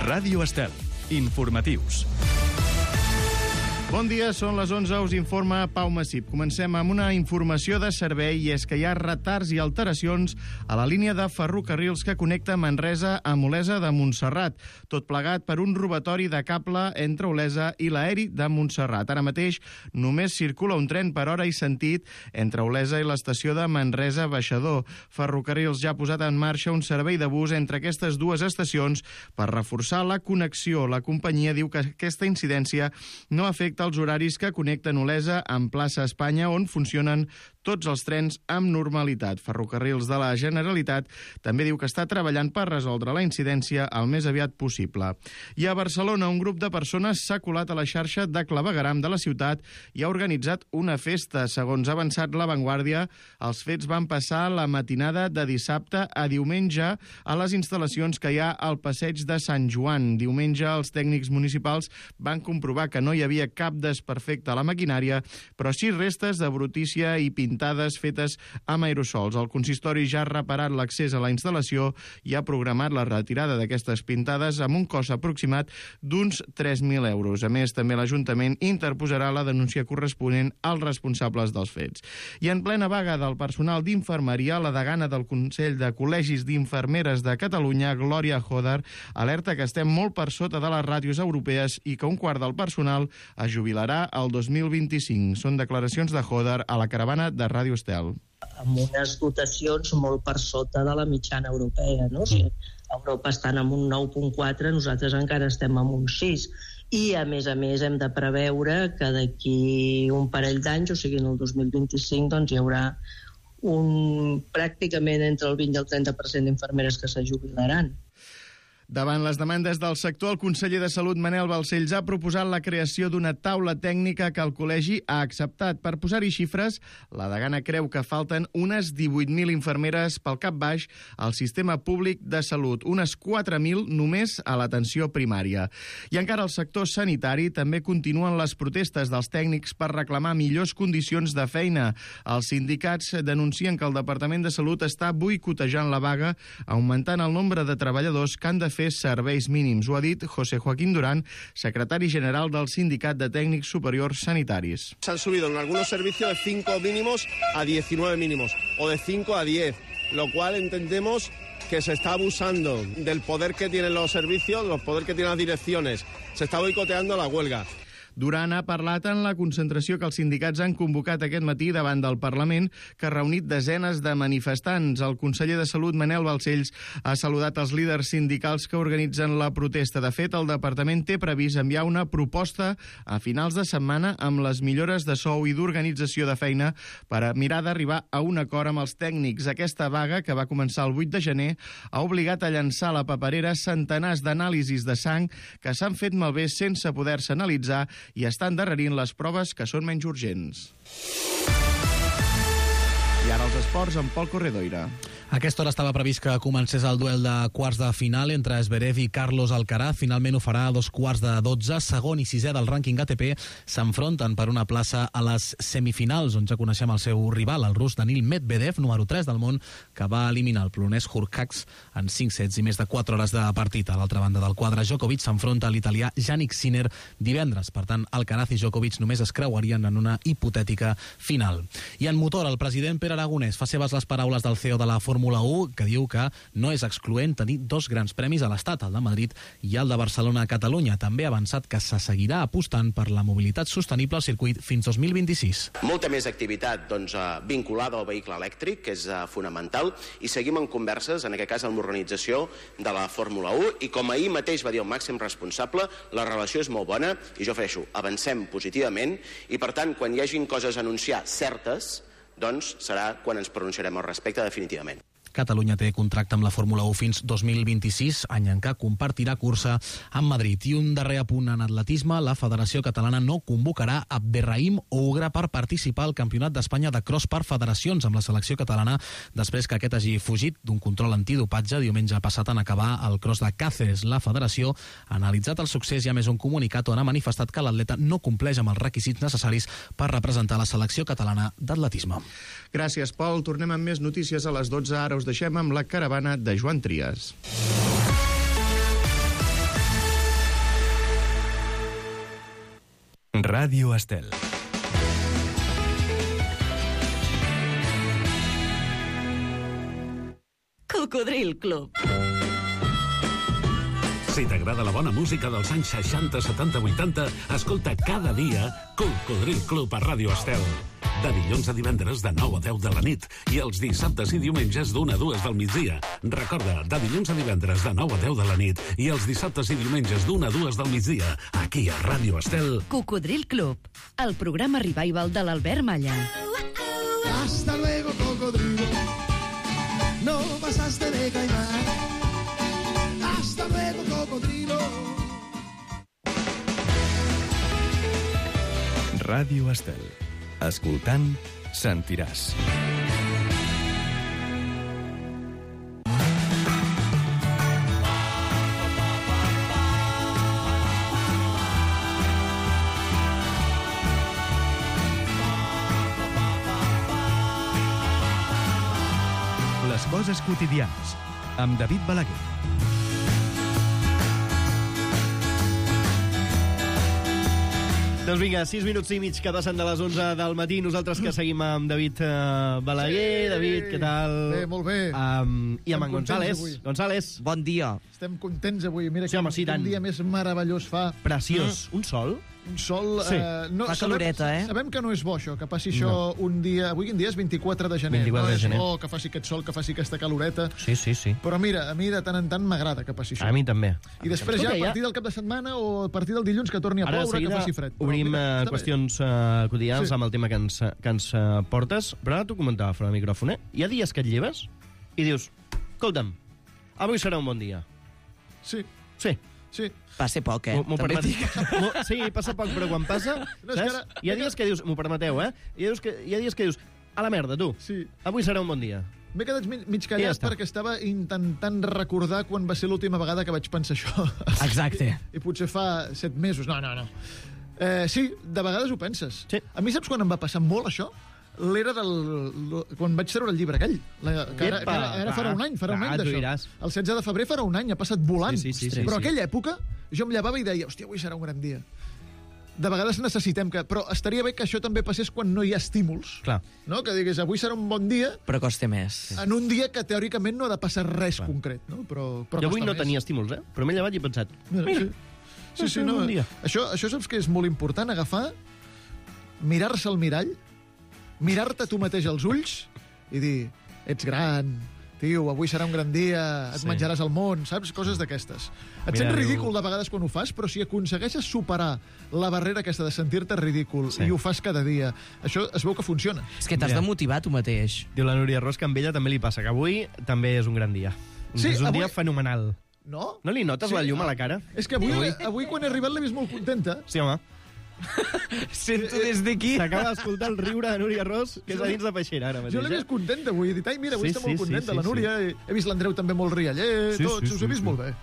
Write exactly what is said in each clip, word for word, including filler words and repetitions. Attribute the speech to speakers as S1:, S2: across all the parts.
S1: Ràdio Estel. Informatius.
S2: Bon dia, són les onze, us informa Pau Massip. Comencem amb una informació de servei i és que hi ha retards i alteracions a la línia de ferrocarrils que connecta Manresa amb Olesa de Montserrat, tot plegat per un robatori de cable entre Olesa i l'aeri de Montserrat. Ara mateix només circula un tren per hora i sentit entre Olesa i l'estació de Manresa Baixador. Ferrocarrils ja ha posat en marxa un servei de bus entre aquestes dues estacions per reforçar la connexió. La companyia diu que aquesta incidència no afecta els horaris que connecten Olesa amb plaça Espanya, on funcionen tots els trens amb normalitat. Ferrocarrils de la Generalitat també diu que està treballant per resoldre la incidència el més aviat possible. I a Barcelona, un grup de persones s'ha colat a la xarxa de clavegueram de la ciutat i ha organitzat una festa. Segons ha avançat La Vanguardia, els fets van passar la matinada de dissabte a diumenge a les instal·lacions que hi ha al passeig de Sant Joan. Diumenge, els tècnics municipals van comprovar que no hi havia cap desperfecte a la maquinària, però sí restes de brutícia i pintades fetes amb aerosols. El consistori ja ha reparat l'accés a la instal·lació i ha programat la retirada d'aquestes pintades amb un cost aproximat d'uns tres mil euros. A més, també l'Ajuntament interposarà la denúncia corresponent als responsables dels fets. I en plena vaga del personal d'infermeria, la degana del Consell de Col·legis d'Infermeres de Catalunya, Glòria Hodar, alerta que estem molt per sota de les ràtios europees i que un quart del personal es jubilarà el dos mil vint-i-cinc. Són declaracions de Hodar a la caravana de Ràdio Estel.
S3: Amb unes dotacions molt per sota de la mitjana europea, no? O sigui, Europa estan en un nou coma quatre, nosaltres encara estem en un sis. I, a més a més, hem de preveure que d'aquí un parell d'anys, o sigui, en el dos mil vint-i-cinc, doncs hi haurà un, pràcticament entre el vint i el trenta per cent d'infermeres que se jubilaran.
S2: Davant les demandes del sector, el conseller de Salut, Manel Balcells, ha proposat la creació d'una taula tècnica que el col·legi ha acceptat. Per posar-hi xifres, la degana creu que falten unes divuit mil infermeres pel cap baix al sistema públic de salut, unes quatre mil només a l'atenció primària. I encara al sector sanitari també continuen les protestes dels tècnics per reclamar millors condicions de feina. Els sindicats denuncien que el Departament de Salut està boicotejant la vaga, augmentant el nombre de treballadors que han de fer serveis mínims. Ho ha dit José Joaquín Durán, secretari general del Sindicat de Tècnics Superiors Sanitaris.
S4: Se han subido en algunos servicios de cinco mínimos a diecinueve mínimos o de cinco a diez, lo cual entendemos que se está abusando del poder que tienen los servicios, del poder que tienen las direcciones. Se está boicoteando la huelga.
S2: Duran ha parlat en la concentració que els sindicats han convocat aquest matí davant del Parlament, que ha reunit desenes de manifestants. El conseller de Salut, Manel Balcells, ha saludat els líders sindicals que organitzen la protesta. De fet, el departament té previst enviar una proposta a finals de setmana amb les millores de sou i d'organització de feina per a mirar d'arribar a un acord amb els tècnics. Aquesta vaga, que va començar el vuit de gener, ha obligat a llançar a la paperera centenars d'anàlisis de sang que s'han fet malbé sense poder-se analitzar i estan endarrerint les proves que són menys urgents. I ara els esports amb Pol Corredoira.
S5: A aquesta hora estava previst que comencés el duel de quarts de final entre Zverev i Carlos Alcaraz. Finalment ho farà a dos quarts de dotze. Segon i sisè del rànquing A T P s'enfronten per una plaça a les semifinals, on ja coneixem el seu rival, el rus Danil Medvedev, número tres del món, que va eliminar el polonès Hurkacz en cinc sets i més de quatre hores de partit. A l'altra banda del quadre, Djokovic s'enfronta a l'italià Jannik Sinner divendres. Per tant, Alcaraz i Djokovic només es creuarien en una hipotètica final. I en motor, el president Pere Aragonès fa seves les paraules del C E O de la Fórmula u, que diu que no és excloent tenir dos grans premis a l'Estat, el de Madrid i el de Barcelona a Catalunya. També ha avançat que se seguirà apostant per la mobilitat sostenible al circuit fins dos mil vint-i-sis.
S6: Molta més activitat doncs, vinculada al vehicle elèctric, que és uh, fonamental, i seguim en converses, en aquest cas amb l'organització de la Fórmula u, i com ahir mateix va dir el màxim responsable, la relació és molt bona, i jo ofereixo, avancem positivament, i per tant, quan hi hagin coses a anunciar certes, doncs serà quan ens pronunciarem al respecte definitivament.
S5: Catalunya té contracte amb la Fórmula u fins dos mil vint-i-sis, any en què compartirà cursa amb Madrid. I un darrer apunt en atletisme, la Federació Catalana no convocarà Abderrahim Ougra per participar al Campionat d'Espanya de cross per federacions amb la selecció catalana, després que aquest hagi fugit d'un control antidopatge diumenge passat en acabar el cross de Cáceres. La Federació ha analitzat el succés i a més un comunicat on ha manifestat que l'atleta no compleix amb els requisits necessaris per representar la selecció catalana d'atletisme.
S2: Gràcies, Pol. Tornem amb més notícies a les dotze. Ara us deixem amb la caravana de Joan Trias.
S1: Ràdio Estel.
S7: Cocodril Club.
S8: Si t'agrada la bona música dels anys seixanta, setanta, vuitanta, escolta cada dia Cocodril Club a Ràdio Estel. De dilluns a divendres de nou a deu de la nit i els dissabtes i diumenges d'una a dues del migdia. Recorda, de dilluns a divendres de nou a deu de la nit i els dissabtes i diumenges d'una a dues del migdia, aquí a Ràdio Estel.
S7: Cocodril Club, el programa revival de l'Albert Malla.
S9: Hasta luego, cocodrilo. No pasaste de caimán. Hasta luego, cocodrilo.
S1: Ràdio Estel. Escoltant, sentiràs. Les coses quotidianes, amb David Balaguer.
S10: Doncs vinga, sis minuts i mig que passen de les onze del matí. Nosaltres que seguim amb David uh, Balaguer. Sí. David, què tal?
S9: Bé, molt bé.
S10: Um, I amb en González.
S9: Avui.
S10: González.
S11: Bon dia.
S9: Estem contents avui. Mira
S10: Sí,
S9: que
S10: home, sí, tant.
S9: un dia més meravellós fa.
S10: Preciós. Mm. Un sol?
S9: Un sol...
S10: Sí.
S9: Eh, no,
S11: Fa caloreta,
S9: sabem,
S11: eh?
S9: Sabem que no és bo, això, que passi això
S10: No.
S9: un dia... Avui quin dia és? vint-i-quatre de gener.
S10: vint-i-quatre
S9: no
S10: de gener.
S9: és bo que faci aquest sol, que faci aquesta caloreta.
S10: Sí, sí, sí.
S9: Però mira, a mi de tant en tant m'agrada que passi això.
S10: A mi també.
S9: I després
S10: Escolta,
S9: ja, a
S10: ja-
S9: partir del cap de setmana o a partir del dilluns que torni a
S10: Ara, de
S9: ploure, que
S10: seguida,
S9: faci fred. Però
S10: obrim
S9: mira,
S10: uh,
S9: està bé.
S10: qüestions uh, quotidianes
S9: Sí.
S10: amb el tema que ens, que ens uh, portes. Però ara t'ho comentava fora del micròfon, eh? Hi ha dies que et lleves i dius, escolta'm, avui serà un bon dia.
S9: Sí,
S10: Sí.
S9: sí.
S11: Passa poc, eh?
S10: M'ho- m'ho
S11: També
S10: permet-
S11: dic.
S10: m'ho- Sí, passa poc, però quan passa,
S9: No, és
S10: saps?
S9: que ara-
S10: Hi ha dies que dius, m'ho permeteu, eh? Hi ha, dies que, hi ha dies que dius, a la merda, tu,
S9: Sí.
S10: avui serà un bon dia.
S9: M'he quedat mig, mig
S10: I ja
S9: callat
S10: està.
S9: perquè estava intentant recordar quan va ser l'última vegada que vaig pensar això.
S5: Exacte.
S9: I, I potser fa set mesos. No, no, no. Eh, sí, de vegades ho penses.
S10: Sí.
S9: A mi saps quan em va passar molt això? L'era del... quan vaig treure el llibre aquell. La, que ara, que ara, ara
S10: Epa,
S9: farà un any, farà un
S10: va,
S9: any
S10: tu
S9: d'això.
S10: diràs.
S9: El setze de febrer farà un any, ha passat volant.
S10: Sí, sí, sí, sí,
S9: Però
S10: sí.
S9: aquella època jo em llevava i deia, hòstia, avui serà un gran dia. De vegades necessitem que... Però estaria bé que això també passés quan no hi ha estímuls.
S10: Clar.
S9: No? Que digués, avui serà un bon dia,
S11: Però costa més.
S9: en un dia que teòricament no ha de passar res Clar. concret, no? Però, però
S10: Jo avui
S9: costa
S10: no
S9: més.
S10: tenia estímuls, eh? Però m'he llevat i he pensat,
S9: Mira,
S10: mira,
S9: sí, sí, sí,
S10: un
S9: no,
S10: bon dia.
S9: això, això saps que és molt important, agafar, mirar-se al mirall, mirar-te tu mateix als ulls i dir, ets gran, tio, avui serà un gran dia, et
S10: Sí.
S9: menjaràs el món, saps? Coses d'aquestes. Et
S10: Mira,
S9: sents
S10: diu-
S9: ridícul de vegades quan ho fas, però si aconsegueixes superar la barrera aquesta de sentir-te ridícul
S10: Sí.
S9: i ho fas cada dia, això es veu que funciona.
S11: És que t'has
S10: Mira.
S11: de motivar tu mateix.
S10: Diu la Núria Ros que amb ella també li passa, que avui també és un gran dia.
S9: Sí,
S10: és un
S9: avui-
S10: dia fenomenal.
S9: No?
S10: No li notes
S9: Sí,
S10: la llum a
S9: ah.
S10: la cara?
S9: És que avui, avui? avui quan he arribat l'he vist molt contenta.
S10: Sí, home.
S11: Sento des d'aquí.
S10: S'acaba d'escoltar el riure de Núria Ros, que és a dins de peixera ara mateix.
S9: Jo l'he
S10: eh?
S9: vist contenta avui. He dit, ai, mira, avui
S10: Sí,
S9: està
S10: sí,
S9: molt
S10: sí,
S9: contenta
S10: sí,
S9: la Núria. He, he vist l'Andreu també molt rialler,
S10: Sí,
S9: tots,
S10: sí,
S9: us
S10: sí,
S9: he vist
S10: sí.
S9: molt bé.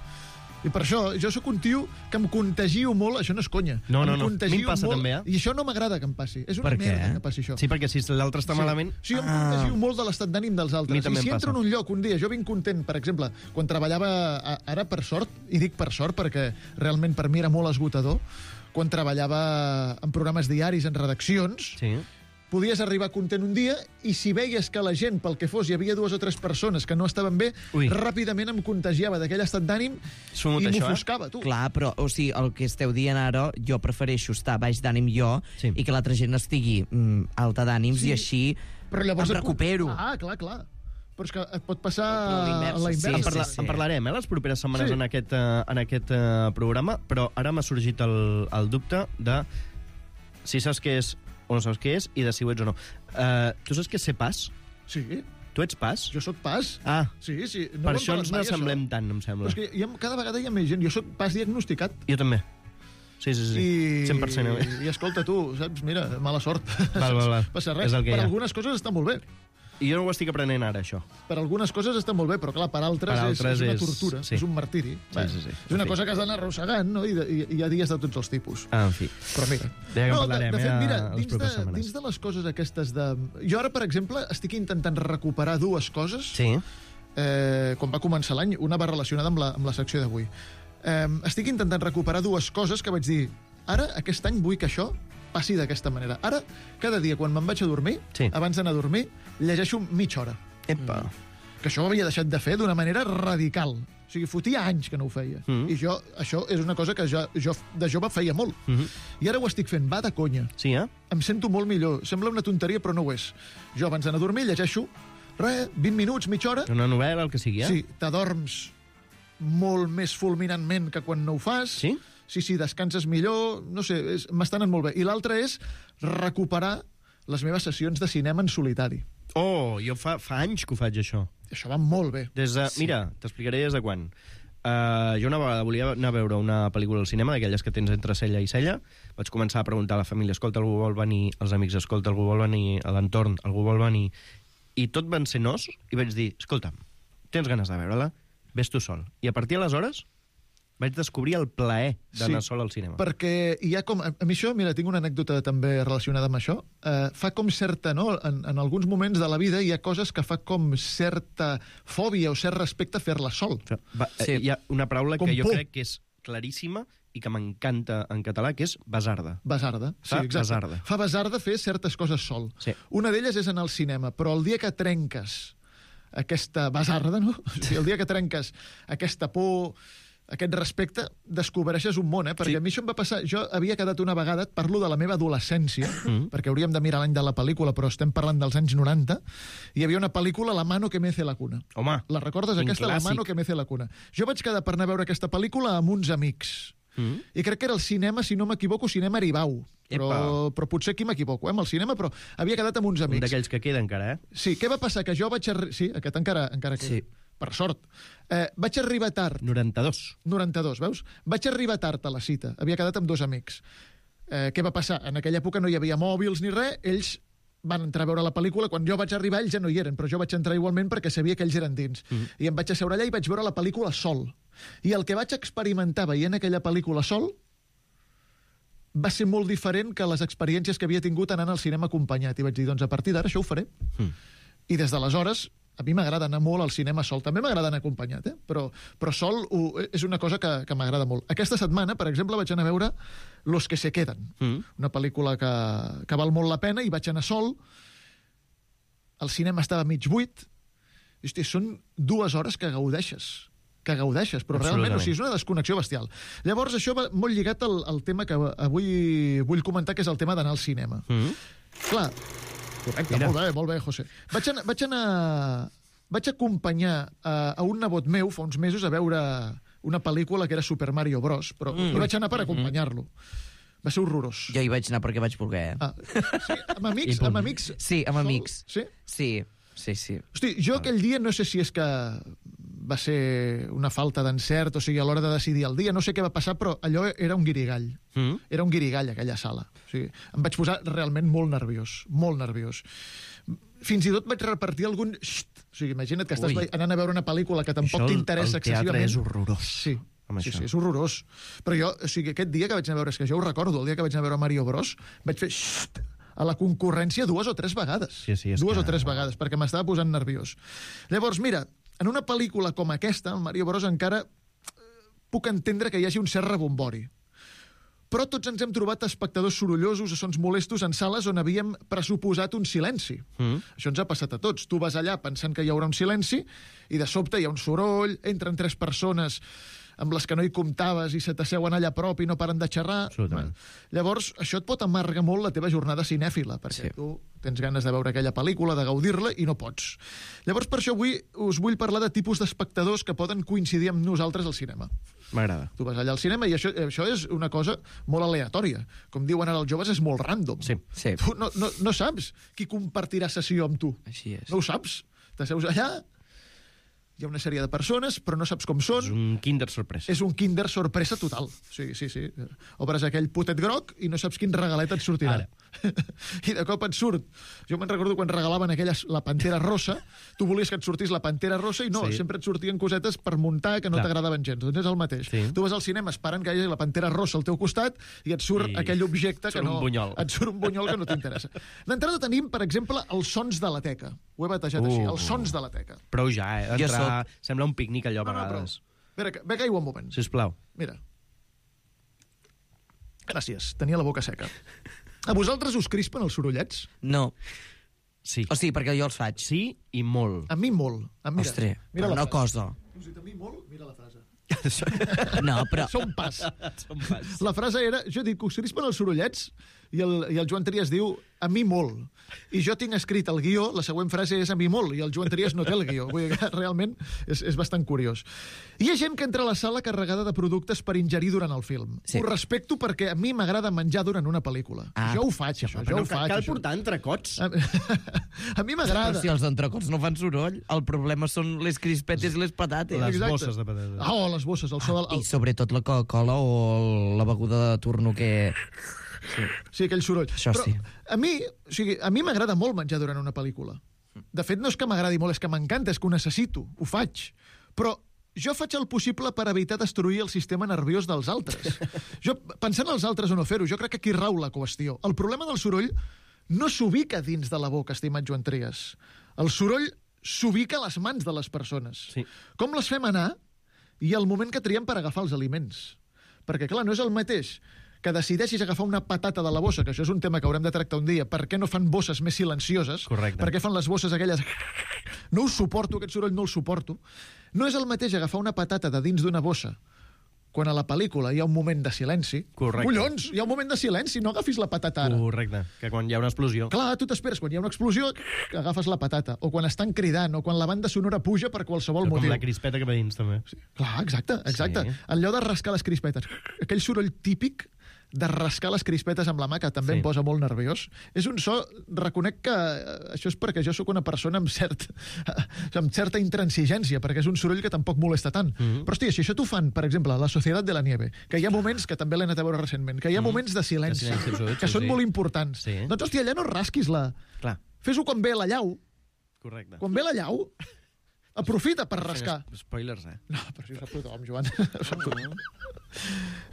S9: I per això, jo sóc un tio que em contagio molt, això no és conya.
S10: No, no,
S9: em
S10: no.
S9: contagio
S10: A mi em passa
S9: molt,
S10: també, eh?
S9: I això no m'agrada que em passi. És una
S10: Per
S9: merda
S10: què?
S9: que passi això.
S10: Sí, perquè si l'altre està malament...
S9: Sí, jo em contagio molt de l'estat d'ànim dels
S10: A mi
S9: altres.
S10: també
S9: I si
S10: em
S9: entro en
S10: passa.
S9: un lloc un dia, jo vinc content, per exemple, quan treballava, a- ara per sort, i dic per sort perquè realment per mi era molt esgotador, quan treballava en programes diaris, en redaccions,
S10: Sí.
S9: podies arribar content un dia i si veies que la gent, pel que fos, hi havia dues o tres persones que no estaven bé,
S10: Ui.
S9: ràpidament em contagiava d'aquell estat d'ànim
S10: Sumut
S9: i
S10: això, eh?
S9: m'ofuscava, tu.
S11: Clar, però, o sigui, el que esteu dient ara, jo prefereixo estar baix d'ànim jo
S10: Sí.
S11: i que l'altra gent estigui mm, alta d'ànims
S9: Sí.
S11: i així
S9: Però llavors
S11: em
S9: et-
S11: recupero.
S9: Ah, clar, clar. Però és que et pot passar
S11: Però
S9: a
S11: l'inversa,
S9: la
S11: sí,
S9: inversa.
S10: En, parla,
S11: sí, sí.
S10: en parlarem, eh, les properes setmanes
S9: Sí.
S10: en aquest, uh, en aquest uh, programa, però ara m'ha sorgit el, el dubte de si saps què és o no saps què és i de si ho ets o no. Uh, tu saps què és ser pas?
S9: Sí,
S10: Tu ets pas?
S9: jo sóc pas.
S10: Ah,
S9: Sí, sí. No
S10: per
S9: m'han
S10: això
S9: parlat
S10: ens
S9: mai,
S10: n'assemblem tant, em
S9: Però
S10: sembla.
S9: és que hi ha, cada vegada hi ha més gent. Jo sóc pas diagnosticat.
S10: Jo també. Sí, sí, sí.
S9: I,
S10: cent per cent. eh?
S9: I escolta, tu, saps? Mira, mala sort.
S10: Val, val, val.
S9: Passa res.
S10: És el que
S9: per
S10: hi ha.
S9: algunes coses està molt bé.
S10: I jo no ho estic aprenent ara, això.
S9: Per algunes coses està molt bé, però clar, per altres,
S10: Per altres
S9: és, és una
S10: és-
S9: tortura,
S10: sí.
S9: és un martiri.
S10: Sí, sí, sí.
S9: És una
S10: En fi.
S9: cosa que has d'anar arrossegant, no? I, de, i, i hi ha dies de tots els tipus.
S10: Ah, en fi.
S9: Però mira...
S10: Ja que en
S9: no,
S10: parlarem,
S9: de, de
S10: eh,
S9: fet, mira,
S10: a les
S9: dins de,
S10: properes setmanes.
S9: dins de les coses aquestes de... Jo ara, per exemple, estic intentant recuperar dues coses.
S10: Sí.
S9: Eh, quan va començar l'any, una va relacionada amb la, amb la secció d'avui. Eh, estic intentant recuperar dues coses que vaig dir ara, aquest any, vull que això passi d'aquesta manera. Ara, cada dia, quan me'n vaig a dormir,
S10: sí.
S9: abans d'anar a dormir, llegeixo mitja hora.
S10: Epa.
S9: Que això ho havia deixat de fer d'una manera radical. O sigui, fotia anys que no ho feia. Mm. I jo, això és una cosa que jo, jo de jove feia molt. Mm -hmm. I ara ho estic fent, va de conya.
S10: Sí, eh?
S9: Em sento molt millor. Sembla una tonteria, però no ho és. Jo, abans d'anar a dormir, llegeixo, res, vint minuts, mitja hora.
S10: Una novel·la, el que sigui, eh?
S9: Sí, t'adorms molt més fulminantment que quan no ho fas.
S10: Sí?
S9: Sí, sí, descanses millor, no sé, m'està anant molt bé. I l'altre és recuperar les meves sessions de cinema en solitari.
S10: Oh, jo fa, fa anys que ho faig, això.
S9: Això va molt bé.
S10: Des de, sí. Mira, t'explicaré des de quan. Uh, jo una vegada volia anar a veure una pel·lícula al cinema, d'aquelles que tens entre cella i cella. Vaig començar a preguntar a la família, escolta, algú vol venir? Els amics, escolta, algú vol venir? A l'entorn, algú vol venir? I tot van ser nos, i vaig dir, escolta'm, tens ganes de veure-la? Ves tu sol. I a partir d'aleshores vaig descobrir el plaer d'anar
S9: sí,
S10: sol al cinema.
S9: Perquè hi ha com... A mi això, mira, tinc una anècdota també relacionada amb això. Uh, fa com certa, no? En, en alguns moments de la vida hi ha coses que fa com certa fòbia o cert respecte a fer-la sol.
S10: Va, sí. Hi ha una paraula
S9: com
S10: que jo
S9: por.
S10: crec que és claríssima i que m'encanta en català, que és basarda.
S9: Basarda, sí,
S10: fa
S9: exacte.
S10: Basarda.
S9: Fa basarda fer certes coses sol.
S10: Sí.
S9: Una d'elles és anar al cinema, però el dia que trenques aquesta basarda, no? O sigui, el dia que trenques aquesta por, aquest respecte, descobreixes un món, eh? Perquè sí. A mi això em va passar... Jo havia quedat una vegada, et parlo de la meva adolescència, mm. perquè hauríem de mirar l'any de la pel·lícula, però estem parlant dels anys noranta, hi havia una pel·lícula, La mano que mece la cuna.
S10: Home,
S9: la recordes, aquesta?
S10: clàssic.
S9: La mano que mece la cuna. Jo vaig quedar per anar a veure aquesta pel·lícula amb uns amics. Mm. I crec que era el cinema, si no m'equivoco, cinema Aribau. Però, però potser aquí m'equivoco, eh, amb el cinema, però havia quedat amb uns amics.
S10: Un d'aquells que queda encara, eh?
S9: Sí, què va passar? Que jo vaig... Arri... Sí, aquest encara, encara queda. Sí. Per sort. Eh, vaig arribar tard.
S10: noranta-dos.
S9: noranta-dos, veus? Vaig arribar tard a la cita. Havia quedat amb dos amics. Eh, què va passar? En aquella època no hi havia mòbils ni res. Ells van entrar a veure la pel·lícula. Quan jo vaig arribar, ells ja no hi eren, però jo vaig entrar igualment perquè sabia que ells eren dins. Mm. I em vaig asseure allà i vaig veure la pel·lícula sol. I el que vaig experimentar veient aquella pel·lícula sol va ser molt diferent que les experiències que havia tingut anant al cinema acompanyat. I vaig dir, doncs a partir d'ara això ho faré. Mm. I des d'aleshores, a mi m'agrada anar molt al cinema sol. També m'agrada anar acompanyat, eh? però, però sol ho, és una cosa que, que m'agrada molt. Aquesta setmana, per exemple, vaig anar a veure Los que se queden, mm. una pel·lícula que, que val molt la pena, i vaig anar sol. El cinema estava mig buit. I, hosti, són dues hores que gaudeixes. que gaudeixes, però realment, o sigui, és una desconnexió bestial. Llavors, això va molt lligat al, al tema que avui vull comentar, que és el tema d'anar al cinema. Mm-hmm. Clar, correcte, Mira. molt bé, molt bé, José. Vaig anar... Vaig, anar, vaig acompanyar a, a un nebot meu fa uns mesos a veure una pel·lícula que era Super Mario Bros, però mm. hi vaig anar per acompanyar-lo. Va ser horrorós.
S11: Jo hi vaig anar perquè vaig voler.
S9: Ah, sí, amb amics? Amb amics?
S11: Sí, amb amics.
S9: Sí?
S11: Sí, sí, sí.
S9: Hosti, jo aquell dia no sé si és que va ser una falta d'encert, o sigui, a l'hora de decidir el dia, no sé què va passar, però allò era un guirigall. Mm. Era un guirigall, aquella sala. O sigui, em vaig posar realment molt nerviós, molt nerviós. Fins i tot vaig repartir algun... Xt! O sigui, imagina't que estàs Ui. anant a veure una pel·lícula que tampoc t'interessa excessivament.
S10: El teatre és horrorós.
S9: Sí, sí, sí, és horrorós. Però jo, o sigui, aquest dia que vaig anar a veure, és que jo ho recordo, el dia que vaig anar a veure Mario Bros, vaig fer xt! A la concurrència dues o tres vegades.
S10: Sí, sí,
S9: dues
S10: que...
S9: o tres vegades, perquè m'estava posant nerviós. Llavors, mira, en una pel·lícula com aquesta, el Mario Bros, encara puc entendre que hi hagi un cert rebombori. Però tots ens hem trobat espectadors sorollosos o sons molestos en sales on havíem pressuposat un silenci. Mm. Això ens ha passat a tots. Tu vas allà pensant que hi haurà un silenci i de sobte hi ha un soroll, entren tres persones amb les que no hi comptaves i se t'asseuen allà a prop i no paren de xerrar. Bueno, llavors, això et pot amargar molt la teva jornada cinèfila, perquè sí. tu tens ganes de veure aquella pel·lícula, de gaudir-la, i no pots. Llavors, per això avui us vull parlar de tipus d'espectadors que poden coincidir amb nosaltres al cinema.
S10: M'agrada.
S9: Tu vas allà al cinema i això, això és una cosa molt aleatòria. Com diuen ara els joves, és molt random.
S11: Sí. sí.
S9: Tu no, no, no saps qui compartirà sessió amb tu.
S11: Així és.
S9: No ho saps. T'asseus allà, hi ha una sèrie de persones, però no saps com són.
S10: És un kinder sorpresa.
S9: És un kinder sorpresa total. Sí, sí, sí. Obres aquell potet groc i no saps quin regalet et sortirà. Ara. I de cop et surt. Jo me'n recordo quan regalaven aquelles, la Pantera Rosa, tu volies que et sortís la Pantera Rosa i no, sí. sempre et sortien cosetes per muntar que no t'agradaven gens. Doncs és el mateix. Sí. Tu vas al cinema esperant que hi hagi la Pantera Rosa al teu costat i et surt I... aquell objecte que no...
S10: Bunyol.
S9: Et surt un bunyol que no t'interessa. D'entrada tenim, per exemple, els sons de la teca. Ho he batejat uh. així, els sons de la teca.
S10: Prou ja, eh? Entrar... Soc... Sembla un pícnic allò a
S9: no,
S10: vegades.
S9: No, però... Espera, ve que aigua un moment.
S10: Sisplau.
S9: Mira. Gràcies, tenia la boca seca. A vosaltres us crispen els sorollets?
S11: No.
S10: Sí.
S11: O sigui, perquè jo els faig.
S10: Sí i molt.
S9: A mi molt. A mira,
S11: Ostres,
S9: mira
S11: però
S9: la
S11: no
S9: frase.
S11: cosa.
S9: Us dit a mi molt? Mira la frase.
S11: No, però...
S9: Som pas.
S10: Som pas.
S9: La frase era, jo dic, us crispen els sorollets? I el, i el Joan Trias diu, a mi molt. I jo tinc escrit el guió, la següent frase és a mi molt, i el Joan Trias no té el guió. Vull dir que realment és, és bastant curiós. Hi ha gent que entra a la sala carregada de productes per ingerir durant el film.
S11: Sí.
S9: Ho respecto perquè a mi m'agrada menjar durant una pel·lícula.
S11: Ah.
S9: Jo ho faig, això, jo
S10: no,
S9: ho faig.
S10: cal
S9: això.
S10: portar entrecots.
S9: A, a mi m'agrada.
S11: Però si els entrecots no fan soroll, el problema són les crispetes i les patates.
S10: Les
S9: Exacte.
S10: bosses de patates.
S9: Ah, oh, les bosses, el so del...
S11: I sobretot la Coca-Cola o la beguda de turno que...
S9: Sí, sí, aquell soroll.
S11: Això
S9: Però
S11: sí.
S9: a mi, o sigui, a mi m'agrada molt menjar durant una pel·lícula. De fet, no és que m'agradi molt, és que m'encanta, és que ho necessito, ho faig. Però jo faig el possible per evitar destruir el sistema nerviós dels altres. Jo, pensant als altres o no fer-ho, jo crec que aquí rau la qüestió. El problema del soroll no s'ubica dins de la boca, estimat Joan Trias. El soroll s'ubica a les mans de les persones.
S10: Sí.
S9: Com les fem anar i el moment que triem per agafar els aliments. Perquè, clar, no és el mateix que decideixis agafar una patata de la bossa, que això és un tema que haurem de tractar un dia, per què no fan bosses més silencioses?
S10: Correcte.
S9: Per què fan les bosses aquelles... No ho suporto, aquest soroll no el suporto. No és el mateix agafar una patata de dins d'una bossa quan a la pel·lícula hi ha un moment de silenci.
S10: Correcte.
S9: Collons, hi ha un moment de silenci, no agafis la patata ara.
S10: Correcte, que quan hi ha una explosió...
S9: Clar, tu t'esperes, quan hi ha una explosió, agafes la patata. O quan estan cridant, o quan la banda sonora puja per qualsevol
S10: Com
S9: motiu.
S10: la crispeta que va dins, també.
S9: Sí. Clar, exacte, exacte.
S10: Sí.
S9: Allò de rascar les crispetes. Aquell soroll típic de rascar les crispetes amb la mà, que també
S10: Sí.
S9: em posa molt nerviós. És un so... Reconec que eh, això és perquè jo sóc una persona amb, cert, amb certa intransigència, perquè és un soroll que tampoc molesta tant.
S10: Mhm.
S9: Però, hòstia, si això t'ho fan, per exemple, La Societat de la Nieve, que hi ha moments, que també l'he anat a veure recentment, que hi ha moments de silenci,
S10: De silenci absolut,
S9: que
S10: sí,
S9: són
S10: sí.
S9: molt importants.
S10: Sí.
S9: Doncs, hòstia, allà no rasquis la...
S10: Clar,
S9: Fes-ho quan ve la llau.
S10: correcte.
S9: Quan ve la llau, aprofita per rascar.
S10: Spoilers, eh?
S9: No, però si ho sap tothom, Joan. Ho sap tothom.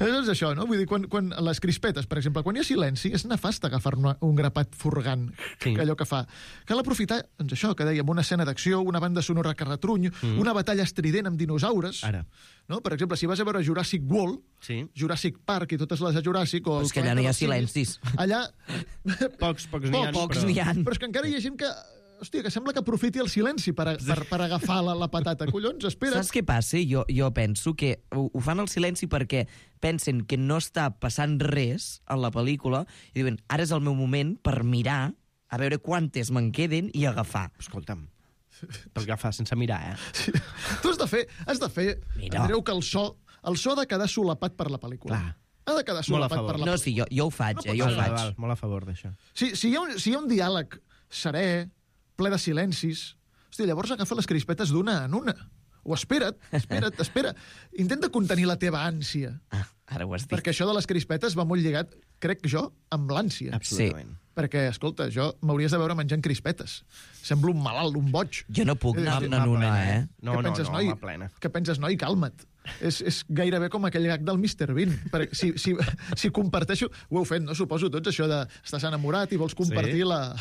S9: És això, no? Vull dir, quan, quan les crispetes, per exemple, quan hi ha silenci, és nefast agafar una, un grapat furgant,
S10: Sí.
S9: que allò que fa. Cal aprofitar, doncs això, que dèiem, una escena d'acció, una banda sonora que retruny,
S10: Mm.
S9: una batalla estrident amb dinosaures.
S10: Ara.
S9: No? Per exemple, si vas a veure Jurassic World,
S10: Sí.
S9: Jurassic Park i totes les de Jurassic... O
S11: Però
S9: el
S11: és que allà no hi ha
S9: Planeta dels Simis,
S11: silencis.
S9: Allà...
S10: Pocs, pocs n'hi ha.
S11: Pocs
S10: però...
S11: n'hi ha.
S9: Però és que encara hi ha gent que... Hòstia, que sembla que aprofiti el silenci per, a, per, per agafar la, la patata. Collons, espera.
S11: Saps què passa? Jo, jo penso que ho, ho fan al silenci perquè pensen que no està passant res en la pel·lícula i diuen, ara és el meu moment per mirar a veure quantes me'n queden i agafar.
S10: Escolta'm, per agafar sense mirar, eh?
S9: Sí. Tu has de fer, has de fer
S11: Mira.
S9: Andreu, que el so, el so ha de quedar solapat per la pel·lícula.
S10: Clar.
S9: Ha de quedar
S10: Molt a
S9: solapat
S10: favor.
S9: per la
S11: No,
S9: pel·lícula.
S11: sí, jo, jo ho faig, eh, jo ho
S10: Val,
S11: faig.
S10: val, molt a favor d'això.
S9: Si, si, hi ha un, si hi ha un diàleg serè, ple de silencis, hòstia, llavors agafa les crispetes d'una en una. O espera't, espera't, espera. Intenta contenir la teva ànsia.
S11: Ah, ara ho has dit.
S9: Perquè això de les crispetes va molt lligat, crec jo, amb l'ànsia.
S10: Absolutament.
S9: Perquè, escolta, jo m'hauries de veure menjant crispetes. Semblo un malalt, un boig.
S11: Jo no puc
S9: Eh,
S11: anar en una, eh?
S10: No,
S9: Què
S10: no,
S9: penses,
S10: no,
S9: noi?
S10: home, plena.
S9: Què penses, noi? Calma't. És, és gairebé com aquell gag del mister Bean. Perquè si, si, si comparteixo... Ho heu fet, no? Suposo tots, això de... Estàs enamorat i vols compartir,
S10: Sí.
S9: la,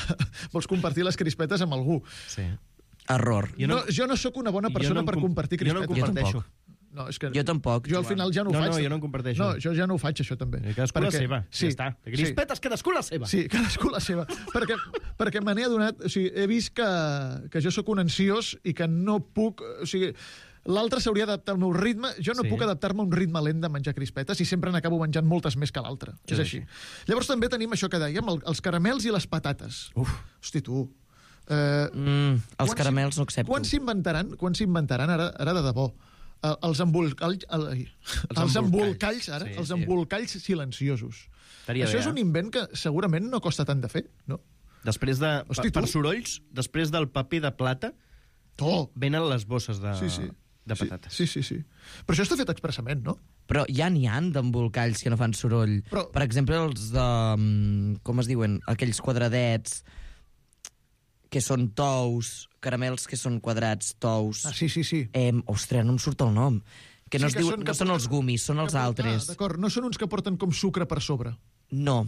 S9: vols compartir les crispetes amb algú.
S10: Sí.
S11: Error.
S9: Jo no, no, jo no sóc una bona persona
S10: jo no
S9: per
S10: com-
S9: compartir
S10: jo no
S9: crispetes.
S10: comparteixo.
S9: No, és que...
S11: Jo tampoc.
S9: Jo al final ja no ho
S10: No,
S9: faig.
S10: no, jo no en comparteixo.
S9: No, jo ja no ho faig, això també.
S10: I cadascú la seva,
S9: Sí,
S10: ja està. De crispetes, cadascú la seva.
S9: Sí, cadascú la seva. perquè perquè me n'he adonat... O sigui, he vist que, que jo sóc un ansiós i que no puc... O sigui, l'altre s'hauria d'adaptar al meu ritme. Jo no
S10: Sí.
S9: puc adaptar-me a un ritme lent de menjar crispetes i sempre n'acabo menjant moltes més que l'altre.
S10: Sí,
S9: És així. Llavors també tenim això que dèiem, el, els caramels i les patates.
S10: Uf.
S9: Hosti, tu... Eh,
S11: Mm, els
S9: quan
S11: caramels
S9: s'in-
S11: no accepto.
S9: Quan s'inventaran, quan s'inventaran ara, ara de debò, eh, els embolcalls, el, ai, els,
S10: embolcalls.
S9: embolcalls, ara,
S10: Sí,
S9: els
S10: sí.
S9: embolcalls silenciosos.
S10: Estaria
S9: Això
S10: bé,
S9: és un
S10: eh?
S9: invent que segurament no costa tant de fer, no?
S10: Després de...
S9: Hosti,
S10: per
S9: tu.
S10: sorolls, després del paper de plata,
S9: Oh,
S10: venen les bosses de,
S9: sí, sí.
S10: de patates.
S9: Sí, sí, sí, sí. Però això està fet expressament, no?
S11: Però ja n'hi han d'embolcalls que no fan soroll.
S9: Però-
S11: Per exemple, els de... mm, com es diuen? Aquells quadradets que són tous, caramels que són quadrats, tous...
S9: Ah, sí, sí, sí.
S11: Eh, ostres, no em surt el nom. Que no,
S9: Sí,
S11: es diu, no
S9: que
S11: són
S9: porten-
S11: els gumis, són els
S9: que porten-
S11: altres.
S9: Ah, d'acord, no són uns que porten com sucre per sobre.
S11: No.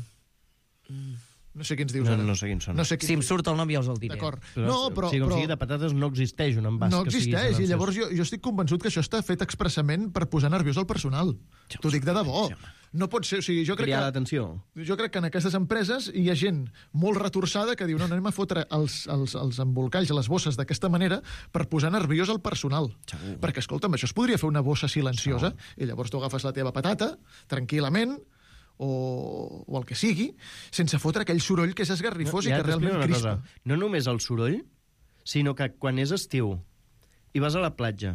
S9: No sé quins dius
S10: No,
S9: ara.
S10: no sé quins són.
S9: No sé quins
S11: Si em
S9: dius.
S11: surt el nom ja us el diré.
S9: D'acord.
S10: Però,
S9: No, però...
S10: o sigui, com
S9: però...
S10: sigui, de patates no existeix un envàs
S9: No
S10: que sigui
S9: existeix, i
S10: silenciós.
S9: llavors jo, jo estic convençut que això està fet expressament per posar nerviós el personal. T'ho dic de debò.
S10: sí, home.
S9: No pot ser, o sigui, jo crec
S10: Cridar
S9: que...
S10: l'atenció.
S9: Jo crec que en aquestes empreses hi ha gent molt retorçada que diu no, anem a fotre els, els, els embolcalls, les bosses d'aquesta manera per posar nerviós el personal.
S10: Segur.
S9: Perquè, escolta'm, això es podria fer una bossa silenciosa i llavors tu agafes la teva patata tranquil·lament o, o el que sigui, sense fotre aquell soroll que és esgarrifós
S10: No,
S9: i que realment crispa.
S10: Cosa. No només el soroll, sinó que quan és estiu i vas a la platja